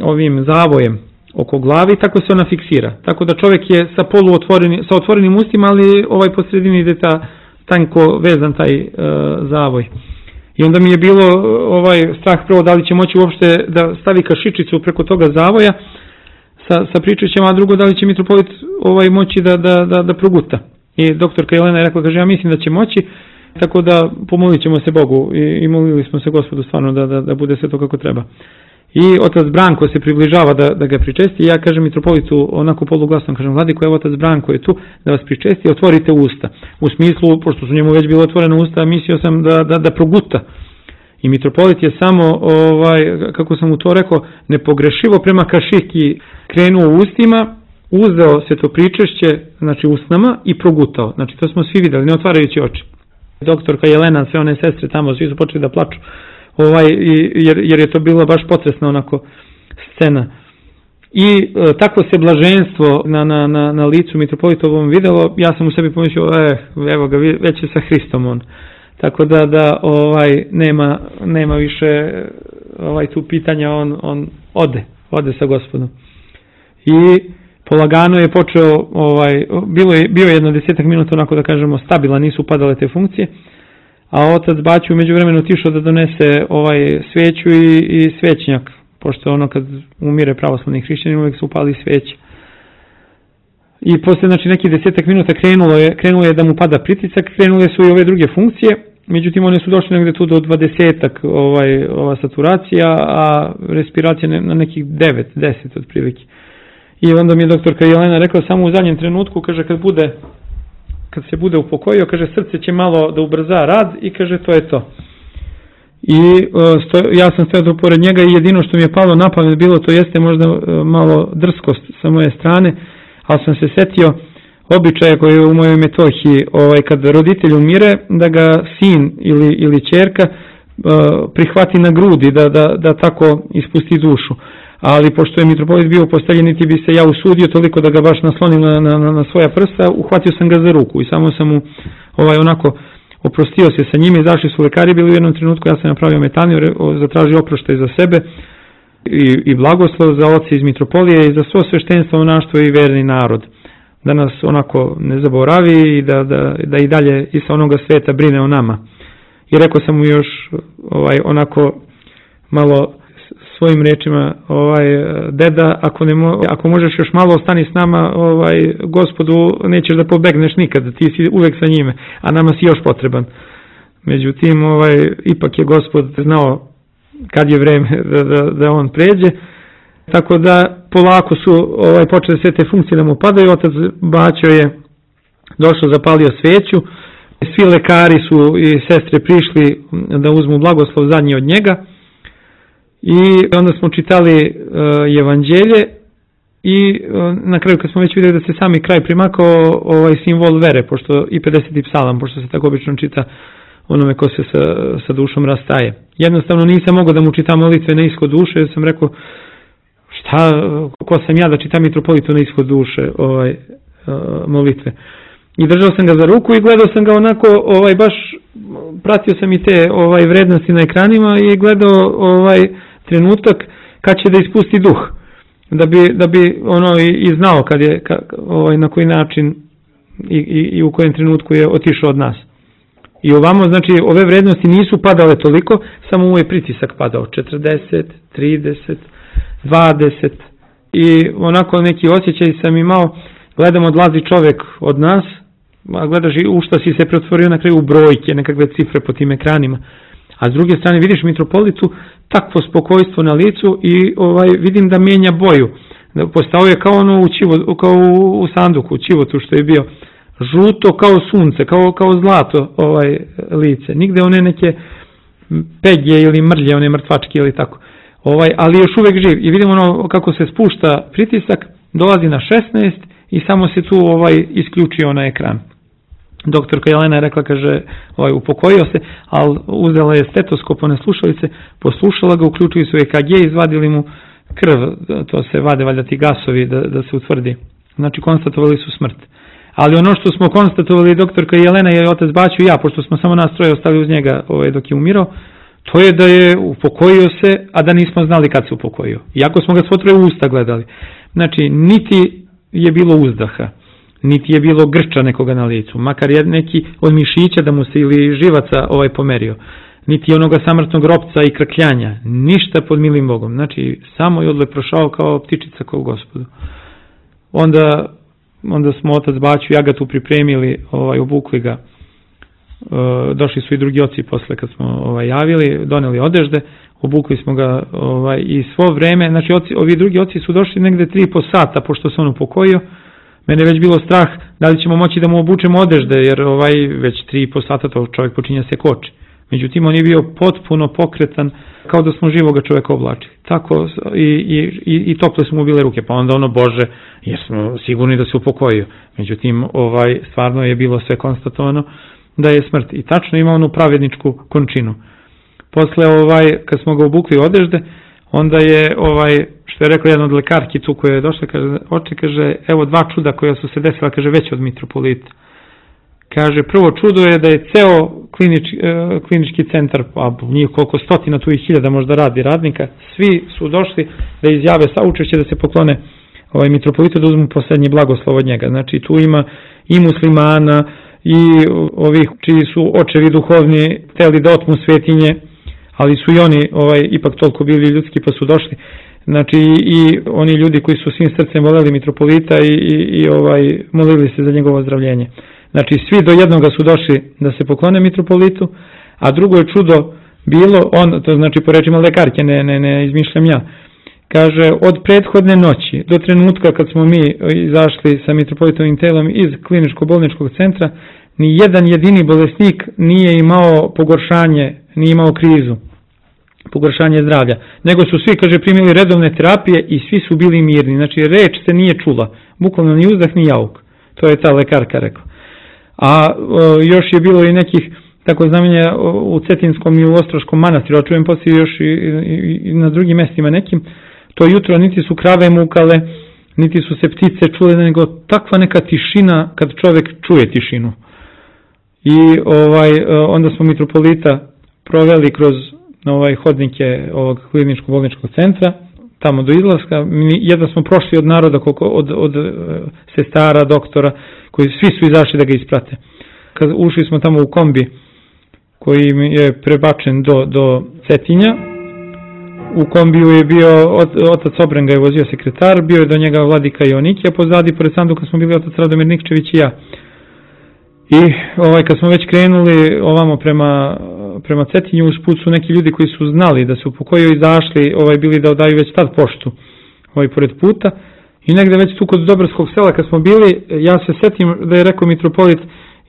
ovim zavojem oko glavi i tako se ona fiksira. Tako da čovek je sa otvorenim ustima, ali po sredini ide tanko vezan taj zavoj. I onda mi je bilo strah prvo da li će moći uopšte da stavi kašičicu preko toga zavoja sa pričećem, a drugo da li će mitropolit moći da proguta. I doktorka Jelena je rekla, kaže, ja mislim da će moći, tako da pomolit ćemo se Bogu i molili smo se Gospodu stvarno da bude sve to kako treba. I otac Branko se približava da ga pričesti i ja kažem mitropolitu onako poluglasno, kažem, vladiko, evo otac Branko je tu da vas pričesti, otvorite usta. U smislu, pošto su njemu već bilo otvorene usta, mislio sam da proguta. I mitropolit je samo, kako sam mu to rekao, nepogrešivo prema kašiki krenuo ustima, uzeo se to pričešće, znači usnama i progutao. Znači to smo svi videli, ne otvarajući oči. Doktorka Jelena, sve one sestre tamo, svi su počeli da plaču, jer je to bila baš potresna onako scena. I tako se blaženstvo na licu mitropolitovom videlo, ja sam u sebi pomislio, evo ga, već je sa Hristom on. Tako da nema više tu pitanja, on ode sa Gospodom. I polagano je počeo, bio je jedno 10 minuta onako da kažemo stabilan, nisu upadale te funkcije, a otac Baću umeđu vremenu otišao da donese sveću i svećnjak, pošto ono kad umire pravoslavni hrišćanin uvijek se upali sveće. I posle nekih 10 minuta krenulo je da mu pada pritisak, krenule su i ove druge funkcije, međutim one su došle negde tu do 20 ova saturacija, a respiracija na nekih 9-10 otprilike. I onda mi je doktorka Jelena rekla samo u zadnjem trenutku, kaže, kad se bude upokojio, kaže, srce će malo da ubrza rad i kaže, to je to. I ja sam stojao pored njega i jedino što mi je palo na pamet bilo, to jeste možda malo drskost sa moje strane, ali sam se setio običaja koji je u mojoj Metohiji, kad roditelj umire, da ga sin ili ćerka prihvati na grudi, da tako ispusti dušu. Ali pošto je mitropolit bio postavljen, niti bi se ja usudio toliko da ga baš naslonim na svoja prsta, uhvatio sam ga za ruku i samo sam mu onako oprostio se sa njim, izašli su lekari, bili u jednom trenutku, ja sam napravio metaniju, zatražio oproštaj za sebe i blagoslov za oce iz mitropolije i za svo sveštenstvo, monaštvo i verni narod. Da nas onako ne zaboravi i da i dalje i sa onoga sveta brine o nama. I rekao sam mu još onako malo svojim rečima, deda, ako možeš još malo ostani s nama, Gospodu, nećeš da pobegneš nikad, ti si uvek sa njime, a nama si još potreban. Međutim, ipak je Gospod znao kad je vreme da on pređe, tako da polako su počele sve te funkcije da mu padaju. Otac Baćo je došao, zapalio sveću, svi lekari su i sestre prišli da uzmu blagoslov zadnji od njega. I onda smo čitali evanđelje i na kraju kad smo već vidjeli da se sami kraj primakao simbol vere, pošto i 50. psalam, pošto se tako obično čita onome ko se sa dušom rastaje. Jednostavno nisam mogao da mu čitam molitve na ishod duše, jer sam rekao, ko sam ja da čitam mitropolitu na ishod duše molitve. I držao sam ga za ruku i gledao sam ga onako, baš pratio sam i te vrednosti na ekranima i gledao trenutak kad će da ispusti duh, da bi i znao kad je, na koji način i u kojem trenutku je otišao od nas. I ovamo, znači, ove vrednosti nisu padale toliko, samo mu je pritisak padao, 40, 30, 20 i onako neki osjećaj sam imao, gledam odlazi čovek od nas, a gledaš i u šta si se pretvorio na kraju u brojke, nekakve cifre po tim ekranima. A s druge strane vidiš mitropolitu takvo spokojstvo na licu i vidim da mijenja boju. Postao je kao kao u sanduku, u čivotu što je bio. Žuto kao sunce, kao zlato lice. Nigde one neke pegje ili mrlje, one mrtvačke ili tako. Ali još uvek živ. I vidimo kako se spušta pritisak, dolazi na 16 i samo se tu isključio na ekran. Doktorka Jelena je rekla, kaže, upokojio se, ali uzela je stetoskop, one slušalice, poslušala ga, uključili su EKG, izvadili mu krv, to se vade valjda ti gasovi da se utvrdi. Znači konstatovali su smrt. Ali ono što smo konstatovali doktorka Jelena i otac Baću i ja, pošto smo samo nas troje ostali uz njega dok je umirao, to je da je upokojio se, a da nismo znali kad se upokojio. Iako smo ga svo troje usta gledali. Znači, niti je bilo uzdaha, niti je bilo grča nekoga na licu, makar je neki od mišića da mu se ili živaca pomerio. niti onoga samrtnog ropca i krkljanja, ništa pod milim Bogom. Znači, samo je odle prošao kao ptičica kao Gospodu. Onda smo otac Baću i Agatu pripremili, obukli ga. Došli su i drugi oci posle kad smo javili, doneli odežde, obukli smo ga i svo vreme, znači ovi drugi oci su došli negde 3,5 sata pošto se on upokojio. Mene već bilo strah da li ćemo moći da mu obučemo odežde, jer već 3,5 sata to čovjek počinja se koči. Međutim, on je bio potpuno pokretan, kao da smo živoga čovjeka oblačili. Tako i tople su mu bile ruke, pa onda Bože, jer smo sigurni da se upokojio. Međutim, stvarno je bilo sve konstatovano da je smrt. I tačno ima onu pravedničku končinu. Posle, kad smo ga obukli odežde, onda je, što je rekao jedan od lekarki tu koja je došla, kaže, evo 2 čuda koja su se desila, kaže, već od mitropolita. Kaže, prvo čudo je da je ceo klinički centar, a njih koliko stotina, tu i 1000 možda radi radnika, svi su došli da izjave saučešće, da se poklone mitropolitu, da uzmu posljednji blagoslov od njega. Znači, tu ima i muslimana, i ovih čiji su očevi duhovni hteli da otmu svetinje, ali su i oni ipak toliko bili ljudski pa su došli. Znači i oni ljudi koji su svim srcem voleli mitropolita i molili se za njegovo ozdravljenje. Znači svi do jednoga su došli da se poklone mitropolitu, a drugo je čudo bilo, to znači po rečima lekarke, ne izmišljam ja, kaže od prethodne noći do trenutka kad smo mi izašli sa mitropolitovim telom iz kliničko-bolničkog centra, ni jedan jedini bolesnik nije imao pogoršanje, nije imao krizu, pogoršanje zdravlja, nego su svi, kaže, primili redovne terapije i svi su bili mirni. Znači reč se nije čula, bukvalno ni uzdah ni jauk. To je ta lekarka rekla. A još je bilo i nekih tako znamenja u Cetinskom i u Ostroškom manastiru, a čujem poslije još i na drugim mestima nekim. To jutro niti su krave mukale, niti su se ptice čule, nego takva neka tišina kad čovjek čuje tišinu. I onda smo mitropolita proveli kroz hodnike ovog kliničko-bolničkog centra, tamo do izlaska. Jedva smo prošli od naroda, od sestara, doktora, koji svi su izašli da ga isprate. Kad ušli smo tamo u kombi koji je prebačen do Cetinja, u kombiju je bio otac Obren, ga je vozio sekretar, bio je do njega vladika Jonikija, pozadi pored sanduka smo bili otac Radomir Nikčević i ja. I kad smo već krenuli ovamo prema Cetinju, usput su neki ljudi koji su znali da se upokojio izašli, bili da odaju već tad poštu pored puta. I negde već tu kod Dobrskog sela kad smo bili, ja se setim da je rekao mitropolit,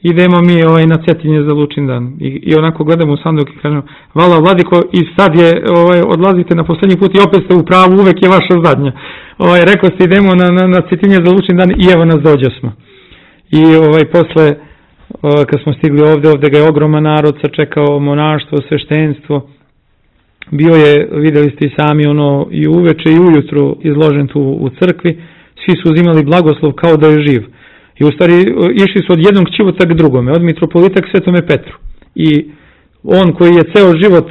idemo mi na Cetinje za Lučindan. I onako gledamo u sanduk i kažemo, hvala vladiko, i sad je, odlazite na posljednji put i opet ste u pravu, uvek je vaša zadnja. Rekao ste idemo na Cetinje za Lučindan i evo nas dođe smo. I posle, kad smo stigli ovde ga je ogroman narod sačekao, monaštvo, sveštenstvo. Bio je, videli ste i sami, i uveče i ujutru izložen tu u crkvi. Svi su uzimali blagoslov kao da je živ. I u stvari išli su od jednog ćivota k drugome, od mitropolita k Svetome Petru. I on koji je ceo život,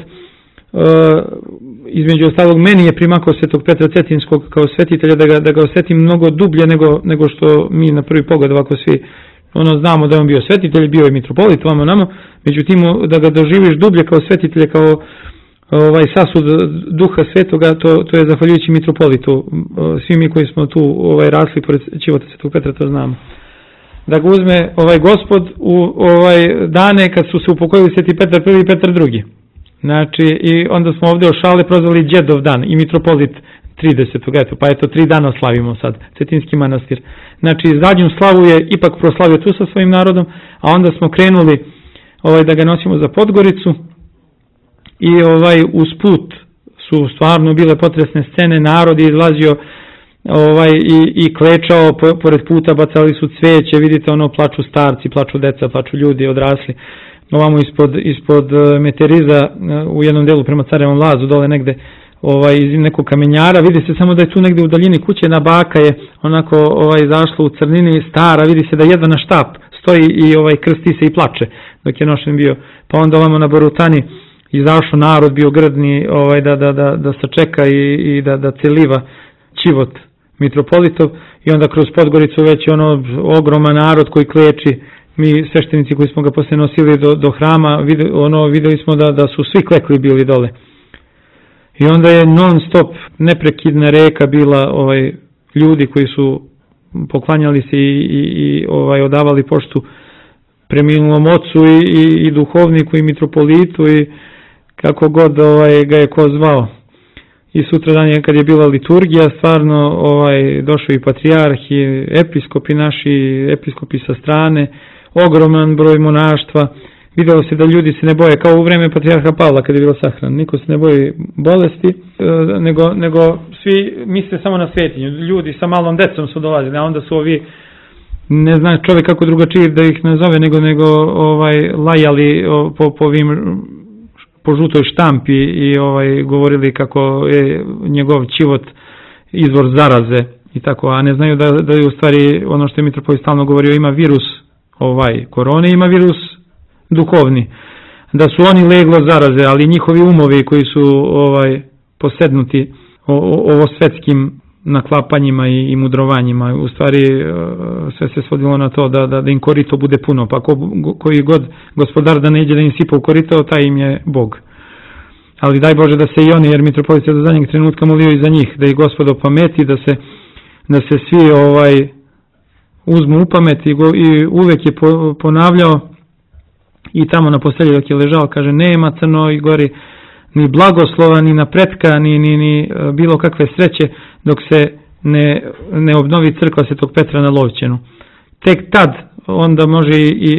između ostalog, meni je primakao Svetog Petra Cetinskog kao svetitelja, da ga osetim mnogo dublje nego što mi na prvi pogled ovako svi znamo da je on bio svetitelj, bio je mitropolit, vamo namo, međutim da ga doživiš dublje kao svetitelje, kao sasud duha svetoga, to je zahvaljujući mitropolitu. Svi mi koji smo tu rasli pored ćivota Svetog Petra to znamo. Da ga uzme Gospod u dane kad su se upokojili Sveti Petar I i Petar II. Znači, i onda smo ovdje o šale prozvali Đedov dan i mitropolit 30. Eto, pa eto 3 dana slavimo sad, Cetinski manastir. Znači, zadnju slavu je ipak proslavio tu sa svojim narodom, a onda smo krenuli da ga nosimo za Podgoricu i usput su stvarno bile potresne scene, narod je izlazio i klečao pored puta, bacali su cveće, vidite plaču starci, plaču deca, plaču ljudi odrasli. Ovamo ispod Meteriza u jednom delu prema Carevom Lazu, dole negde iz nekog kamenjara, vidi se samo da je tu negde u daljini kuće, jedna baka je onako zašla u crnini, stara, vidi se da jedva na štap stoji i krsti se i plače dok je nošen bio. Pa onda ovamo na Borutani izašao narod, bio grdni da sačeka i da celiva ćivot mitropolitov, i onda kroz Podgoricu već ogroman narod koji kleči mi sveštenici koji smo ga posle nosili do hrama, videli smo da su svi klekli bili dole. I onda je non stop neprekidna reka bila ljudi koji su poklanjali se i odavali poštu preminulom ocu i duhovniku i mitropolitu i kako god ga je ko zvao. I sutradan je, kad je bila liturgija, stvarno došao i patrijarh i episkopi naši, episkopi sa strane, ogroman broj monaštva. Videlo se da ljudi se ne boje, kao u vreme patrijarha Pavla kad je bilo sahran. Niko se ne boji bolesti, nego svi misle samo na svetinju. Ljudi sa malom decom su dolazili, a onda su ovi, ne zna čovjek kako drugačije da ih nazove, nego lajali po žutoj štampi i govorili kako je njegov život izvor zaraze i tako, a ne znaju da je u stvari ono što je mitropolit stalno govorio, ima virus korone, ima virus duhovni, da su oni leglo zaraze, ali njihovi umovi koji su posednuti ovo svetskim naklapanjima i mudrovanjima, u stvari sve se svodilo na to da im korito bude puno, pa koji god gospodar da ne iđe da im sipa u korito, taj im je Bog. Ali daj Bože da se i oni, jer mitropolit se do zadnjeg trenutka molio i za njih, da ih Gospod opameti, da se svi uzmu u pamet i uvek je ponavljao i tamo na postelji dok je ležao, kaže, nema Crnoj Gori ni blagoslova, ni napretka, ni bilo kakve sreće dok se ne obnovi crkva Svetog Petra na Lovćenu. Tek tad onda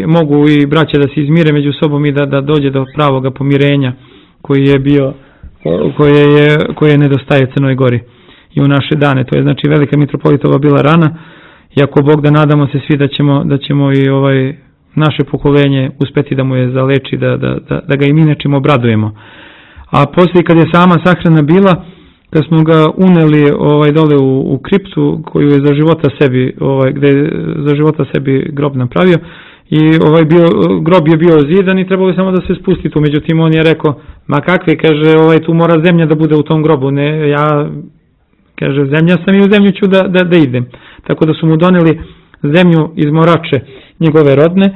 mogu i braća da se izmire među sobom i da dođe do pravoga pomirenja koje nedostaje Crnoj Gori i u naše dane. To je znači velika mitropolitova bila rana i ako Bog da nadamo se svi da ćemo i naše pokolenje uspeti da mu je zaleči, da ga i mi nečim obradujemo. A poslije kad je sama sahrana bila, kad smo ga uneli dole u kriptu koju je za života sebi, gde je za života sebi grob napravio i grob je bio zidan i trebalo je samo da se spusti tu, međutim on je rekao, ma kakve, kaže, tu mora zemlja da bude u tom grobu, ne, ja, kaže, zemlja sam i u zemlju ću da idem. Tako da su mu doneli zemlju iz Morače njegove rodne,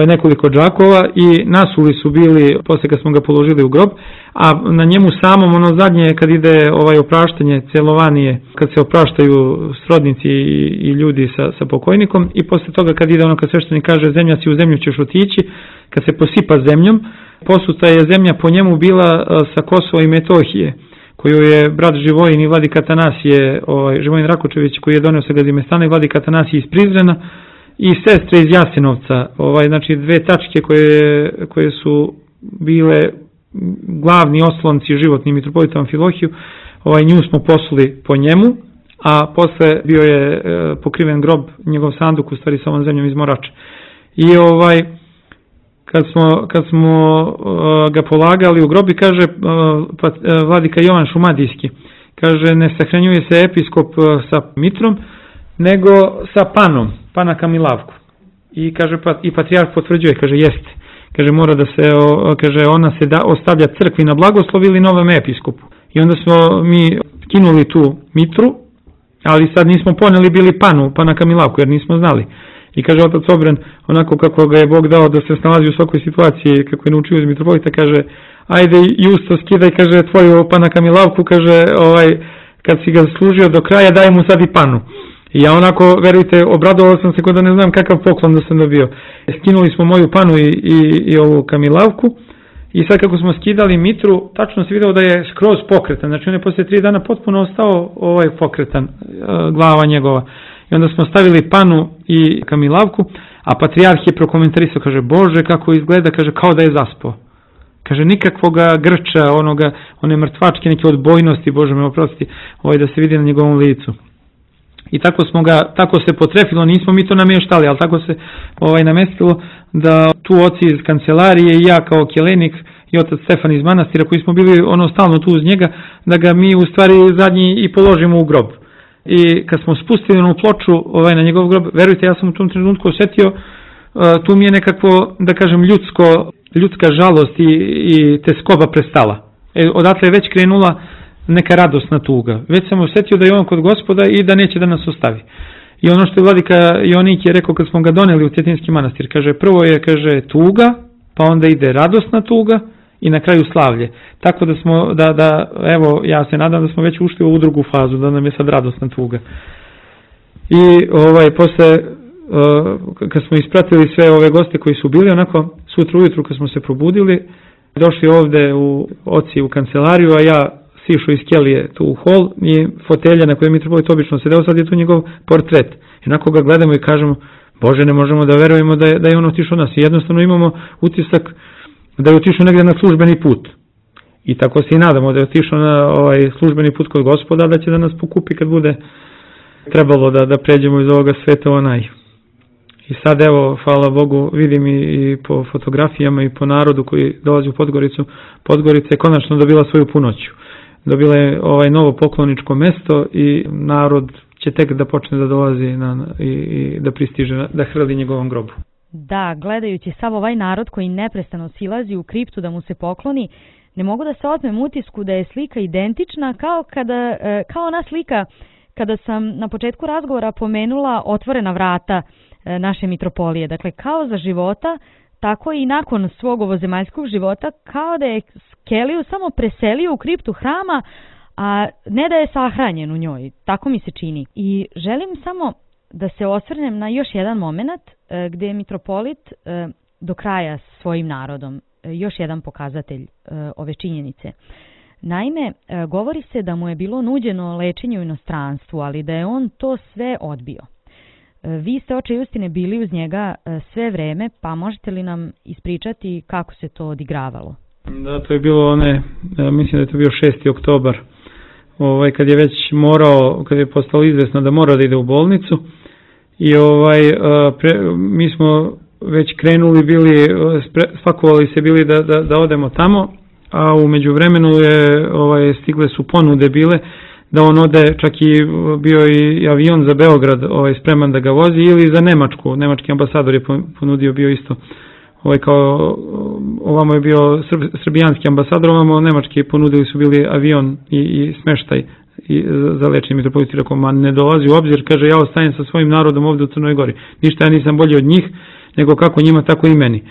nekoliko džakova i nasuli su bili posle kad smo ga položili u grob, a na njemu samom ono zadnje kad ide opraštanje, celovanije, kad se opraštaju srodnici i ljudi sa pokojnikom i posle toga kad ide ono kad sveštenik kaže zemlja si u zemlju ćeš otići, kad se posipa zemljom, posuta je zemlja po njemu bila sa Kosova i Metohije, koju je brat Živojin i vladika Atanasije, Živojin Rakočević koji je doneo sa Gazimestana i vladika Atanasije iz Prizrena i sestre iz Jasenovca, znači dve tačke koje su bile glavni oslonci životni mitropolita Amfilohiju, nju smo posuli po njemu, a posle bio je pokriven grob, njegov sanduk u stvari sa ovom zemljom iz Morače. I kad smo ga polagali u grob i kaže vladika Jovan Šumadijski, kaže ne sahranjuje se episkop sa mitrom, nego sa panom, pana Kamilavku. I kaže i patrijarh potvrđuje, kaže jeste. Kaže mora da se, kaže ona se ostavlja crkvi na blagoslov ili novom episkopu. I onda smo mi kinuli tu mitru, ali sad nismo poneli bili pana Kamilavku jer nismo znali. I kaže otac Obren, onako kako ga je Bog dao da se snalazi u svakoj situaciji, kako je naučio iz mitropolita, kaže ajde Justo skidaj, kaže tvoju pana Kamilavku, kaže kad si ga služio do kraja daj mu sad i panu. I ja onako, verujte, obradovao sam se kod da ne znam kakav poklon da sam dobio. Skinuli smo moju panu i ovu Kamilavku i sad kako smo skidali mitru, tačno se video da je skroz pokretan. Znači on je poslije 3 dana potpuno ostao pokretan, glava njegova. I onda smo stavili panu i Kamilavku, a patrijarh je prokomentarisao, kaže, Bože kako izgleda, kaže, kao da je zaspao. Kaže, nikakvoga grča, one mrtvačke, neke odbojnosti, Bože me oprosti, da se vidi na njegovom licu. I tako se potrefilo, nismo mi to namještali, ali tako se namestilo da tu oci iz kancelarije i ja kao kjelenik i otac Stefan iz manastira koji smo bili stalno tu uz njega, da ga mi u stvari zadnji i položimo u grob. I kad smo spustili onu ploču na njegov grob, verujte, ja sam u tom trenutku osjetio, tu mi je nekako, da kažem, ljudska žalost i teskoba prestala. Odatle je već krenula neka radosna tuga. Već sam osjetio da je on kod Gospoda i da neće da nas ostavi. I ono što je vladika Jonik je rekao kad smo ga doneli u Cetinski manastir, kaže prvo je, kaže, tuga, pa onda ide radosna tuga i na kraju slavlje. Tako da smo, evo, ja se nadam da smo već ušli u ovu drugu fazu, da nam je sad radosna tuga. I posle, kad smo ispratili sve ove goste koji su bili, onako, sutra ujutru kad smo se probudili, došli ovde oci u kancelariju, a ja sišao iz kelije tu u hol i fotelja na kojoj mitropolit obično sedeo, sad je tu njegov portret. I onako ga gledamo i kažemo, Bože, ne možemo da verujemo da je on otišao nas. I jednostavno imamo utisak da je otišao negdje na službeni put. I tako se i nadamo da je otišao na službeni put kod Gospoda, da će da nas pokupi kad bude trebalo da pređemo iz ovoga sveta onaj. I sad evo, hvala Bogu, vidim i po fotografijama i po narodu koji dolazi u Podgoricu. Podgorica je konačno dobila svoju punoću. Dobila je novo pokloničko mesto i narod će tek da počne da dolazi i da pristiže, da hrli njegovom grobu. Da, gledajući sav ovaj narod koji neprestano silazi u kriptu da mu se pokloni, ne mogu da se otmem utisku da je slika identična kao ona slika kada sam na početku razgovora pomenula otvorena vrata naše mitropolije. Dakle, kao za života, tako i nakon svog ovozemaljskog života, kao da je Keliju samo preselio u kriptu hrama, a ne da je sahranjen u njoj. Tako mi se čini. I želim samo da se osvrnem na još jedan moment gdje je mitropolit do kraja svojim narodom. Još jedan pokazatelj ove činjenice. Naime, govori se da mu je bilo nuđeno lečenje u inostranstvu, ali da je on to sve odbio. Vi ste, oče Justine, bili uz njega sve vreme, pa možete li nam ispričati kako se to odigravalo? Da, to je bilo mislim da je to bio 6. oktobar, kad je već kad je postalo izvesno da mora da ide u bolnicu i mi smo već krenuli bili, spakovali se bili da odemo tamo, a u međuvremenu stigle su ponude bile da on ode, čak i bio i avion za Beograd spreman da ga vozi ili za Nemačku. Nemački ambasador je ponudio bio isto. Kao ovamo je bio srbijanski ambasador, ovamo nemački ponudili su bili avion i smeštaj za lečenje. Mitropolit rekao, ma ne dolazi u obzir, kaže, ja ostajem sa svojim narodom ovdje u Crnoj Gori. Ništa, ja nisam bolji od njih, nego kako njima, tako i meni.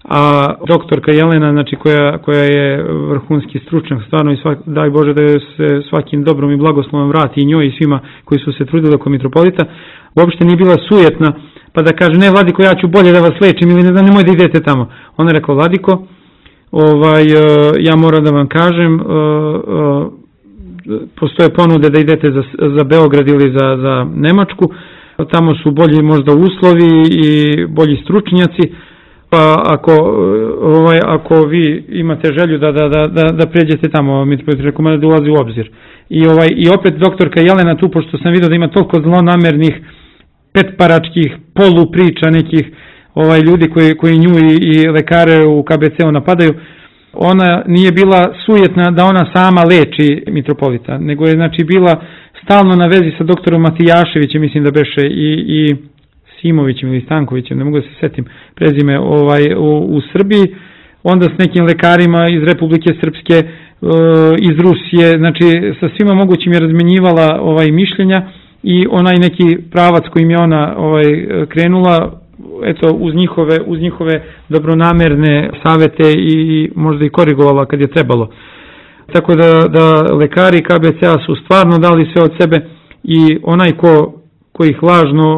A doktorka Jelena, znači koja je vrhunski stručnjak, stvarno, daj Bože da se svakim dobrom i blagoslovom vrati i njoj i svima koji su se trudili oko mitropolita, uopšte nije bila sujetna, pa da kaže, ne Vladiko, ja ću bolje da vas lečim ili ne znam, nemoj da idete tamo. Ona je rekla, Vladiko, ja moram da vam kažem, postoje ponude da idete za Beograd ili za Nemačku, tamo su bolji možda uslovi i bolji stručnjaci, pa ako vi imate želju da pređete tamo, mitropolit rekao, da ulazi u obzir. I opet doktorka Jelena tu, pošto sam vidio da ima toliko zlonamernih, petparačkih polupriča nekih ljudi koji nju i lekare u KBC-u napadaju, ona nije bila sujetna da ona sama leči mitropolita, nego je znači bila stalno na vezi sa doktorom Matijaševićem, mislim da beše, i Simovićem ili Stankovićem, ne mogu da se setim prezime, u Srbiji, onda s nekim lekarima iz Republike Srpske, iz Rusije, znači sa svima mogućim je razmenjivala mišljenja i onaj neki pravac kojim je ona krenula, eto, uz njihove dobronamerne savete i možda i korigovala kad je trebalo. Tako da lekari KBC-a su stvarno dali sve od sebe i onaj ko ih lažno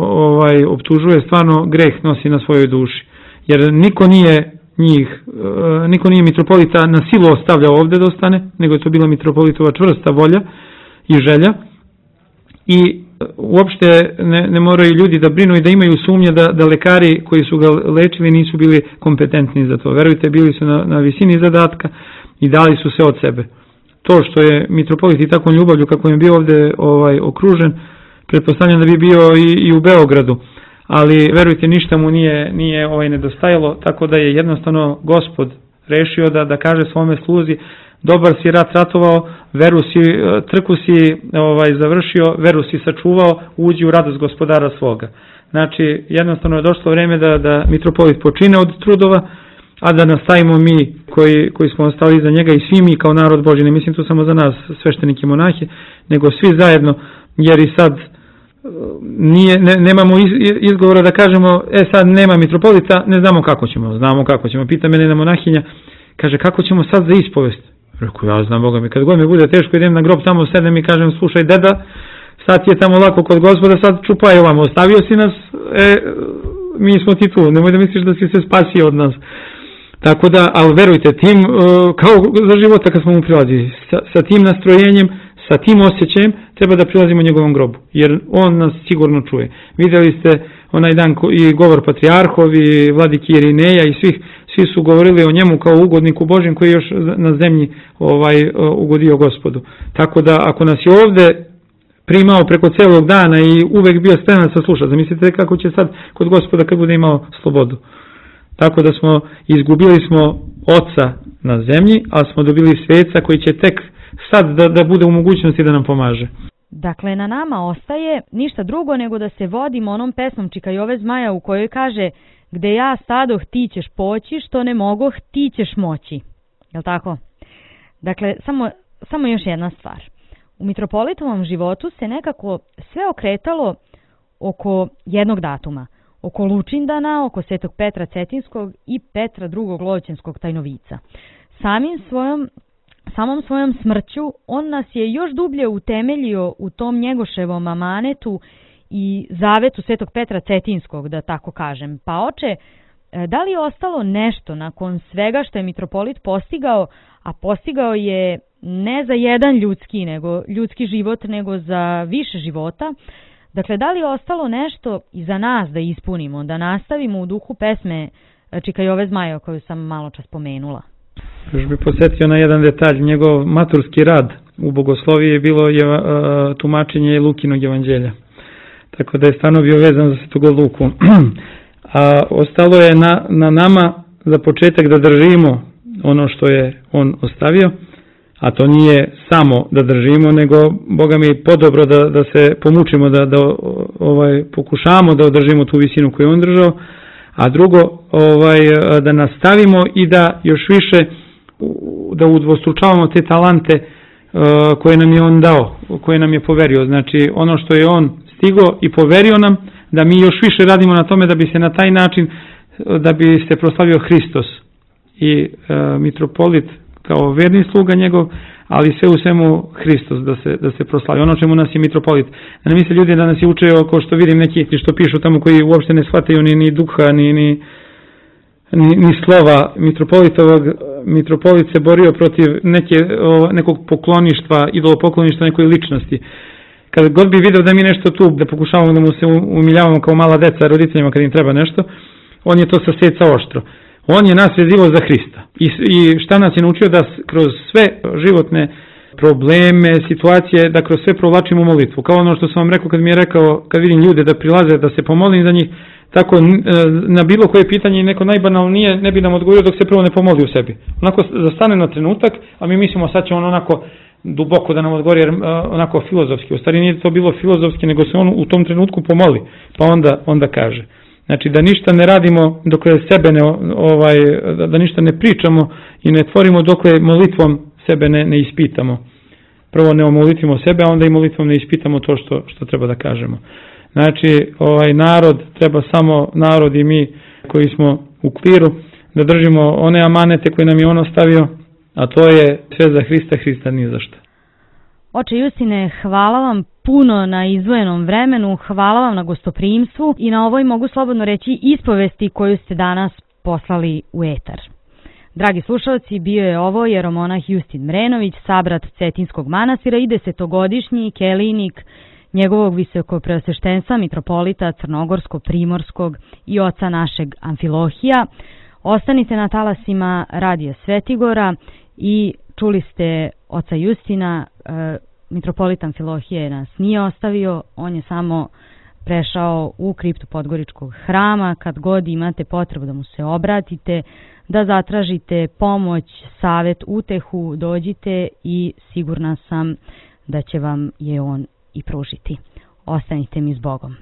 optužuje, stvarno greh nosi na svojoj duši. Jer niko nije mitropolita na silu ostavljao ovdje da ostane, nego je to bila mitropolitova čvrsta volja i želja. I uopšte ne moraju ljudi da brinu i da imaju sumnje da lekari koji su ga lečili nisu bili kompetentni za to. Verujte, bili su na visini zadatka i dali su se od sebe. To što je mitropolit i takvom ljubavlju kako je bio ovdje okružen, pretpostavljam da bi bio i u Beogradu, ali verujte, ništa mu nije nedostajalo, tako da je jednostavno Gospod rešio da kaže svome sluzi, dobar si rat ratovao, trku si završio, veru si sačuvao, uđi u radost gospodara svoga. Znači, jednostavno je došlo vreme da mitropolit počine od trudova, a da nastavimo mi koji smo ostali iza njega i svi mi kao narod Božji, ne mislim tu samo za nas, sveštenike i monahe, nego svi zajedno, jer i sad nemamo izgovora da kažemo, sad nema mitropolita, ne znamo kako ćemo. Znamo kako ćemo. Pita mene jedna monahinja, kaže, kako ćemo sad za ispovest? Rekao, ja znam, Boga mi, kad god mi bude teško, idem na grob, tamo sedem i kažem, slušaj, deda, sad je tamo lako kod Gospoda, sad čupaj ovamo, ostavio si nas, mi smo ti tu, nemoj da misliš da si se spasio od nas. Tako da, ali verujte, tim, kao za života kad smo mu prilazili, sa tim nastrojenjem, sa tim osjećajem, treba da prilazimo njegovom grobu, jer on nas sigurno čuje. Vidjeli ste onaj dan i govor patrijarhov i vladiki Irineja i svi su govorili o njemu kao ugodniku Božjem koji je još na zemlji ugodio Gospodu. Tako da, ako nas je ovde primao preko celog dana i uvek bio spreman da sluša, zamislite kako će sad kod Gospoda kad bude imao slobodu. Tako da izgubili smo oca na zemlji, ali smo dobili sveca koji će tek sad da bude u mogućnosti da nam pomaže. Dakle, na nama ostaje ništa drugo nego da se vodimo onom pesmom Čika Jove Zmaja u kojoj kaže: gde ja stadoh ti ćeš poći, što ne mogoh ti ćeš moći. Jel' tako? Dakle, samo još jedna stvar. U mitropolitovom životu se nekako sve okretalo oko jednog datuma. Oko Lučindana, oko Svetog Petra Cetinskog i Petra II. Lovćenskog tajnovica. Samom svojom smrću on nas je još dublje utemeljio u tom Njegoševom amanetu i zavetu Svetog Petra Cetinskog, da tako kažem. Pa oče, da li je ostalo nešto nakon svega što je mitropolit postigao, a postigao je ne za jedan ljudski život, nego za više života? Dakle, da li je ostalo nešto i za nas da ispunimo, da nastavimo u duhu pesme Čika Jove Zmaja koju sam malo čas spomenula? Još bih posjetio na jedan detalj, njegov maturski rad u bogosloviji je bilo tumačenje Lukinog evanđelja. Tako da je stvarno bio vezan za Svetog Luku. A ostalo je na nama za početak da držimo ono što je on ostavio, a to nije samo da držimo, nego Boga mi podobro da se pomučimo, da pokušamo da održimo tu visinu koju je on držao, a drugo da nastavimo i da još više da udvostručavamo te talente koje nam je on dao, koje nam je poverio. Znači ono što je on stigao i poverio nam, da mi još više radimo na tome da bi se na taj način, da bi se proslavio Hristos i mitropolit kao verni sluga njegov, ali sve u svemu Hristos da se proslavi. Ono čemu nas je mitropolit. Da ne misle ljudi da nas je učeo, kao što vidim neki što pišu tamo koji uopšte ne shvataju ni duha, ni slova mitropolitovog. Mitropolit se borio protiv nekog pokloništva, idolopokloništva nekoj ličnosti. Kad god bi video da mi nešto tu, da pokušavamo da mu se umiljavamo kao mala deca roditeljima kad im treba nešto, on je to saseca oštro. On je nas vezivao za Hrista. I šta nas je naučio? Da kroz sve životne probleme, situacije, da kroz sve provlačimo molitvu. Kao ono što sam vam rekao kad mi je rekao, kad vidim ljude da prilaze, da se pomolim za njih, tako na bilo koje pitanje neko najbanalnije ne bi nam odgovorio dok se prvo ne pomoli u sebi. Onako zastane na trenutak, a mi mislimo sad će on onako duboko da nam odgovori, jer onako filozofski. U stvari nije to bilo filozofski, nego se on u tom trenutku pomoli, pa onda kaže. Znači da ništa ne radimo dokle sebe da ništa ne pričamo i ne tvorimo dokle molitvom sebe ne ispitamo. Prvo ne omolitvimo sebe, a onda i molitvom ne ispitamo to što treba da kažemo. Znači narod, treba samo narod i mi koji smo u kliru da držimo one amanete koje nam je on ostavio, a to je sve za Hrista, Hrista ni za šta. Oče Justine, hvala vam puno na izdvojenom vremenu, hvala vam na gostoprimstvu i na ovoj, mogu slobodno reći, ispovesti koju ste danas poslali u etar. Dragi slušalci, bio je ovo jeromonah Justin Mrenović, sabrat Cetinskog manastira i 10-godišnji kelijnik njegovog visokopreosveštenstva mitropolita Crnogorsko-Primorskog i oca našeg Amfilohija. Ostanite na talasima Radija Svetigora i čuli ste oca Justina. Mitropolit Amfilohije nas nije ostavio, on je samo prešao u kriptu Podgoričkog hrama. Kad god imate potrebu da mu se obratite, da zatražite pomoć, savet, utehu, dođite i sigurna sam da će vam je on i pružiti. Ostanite mi s Bogom.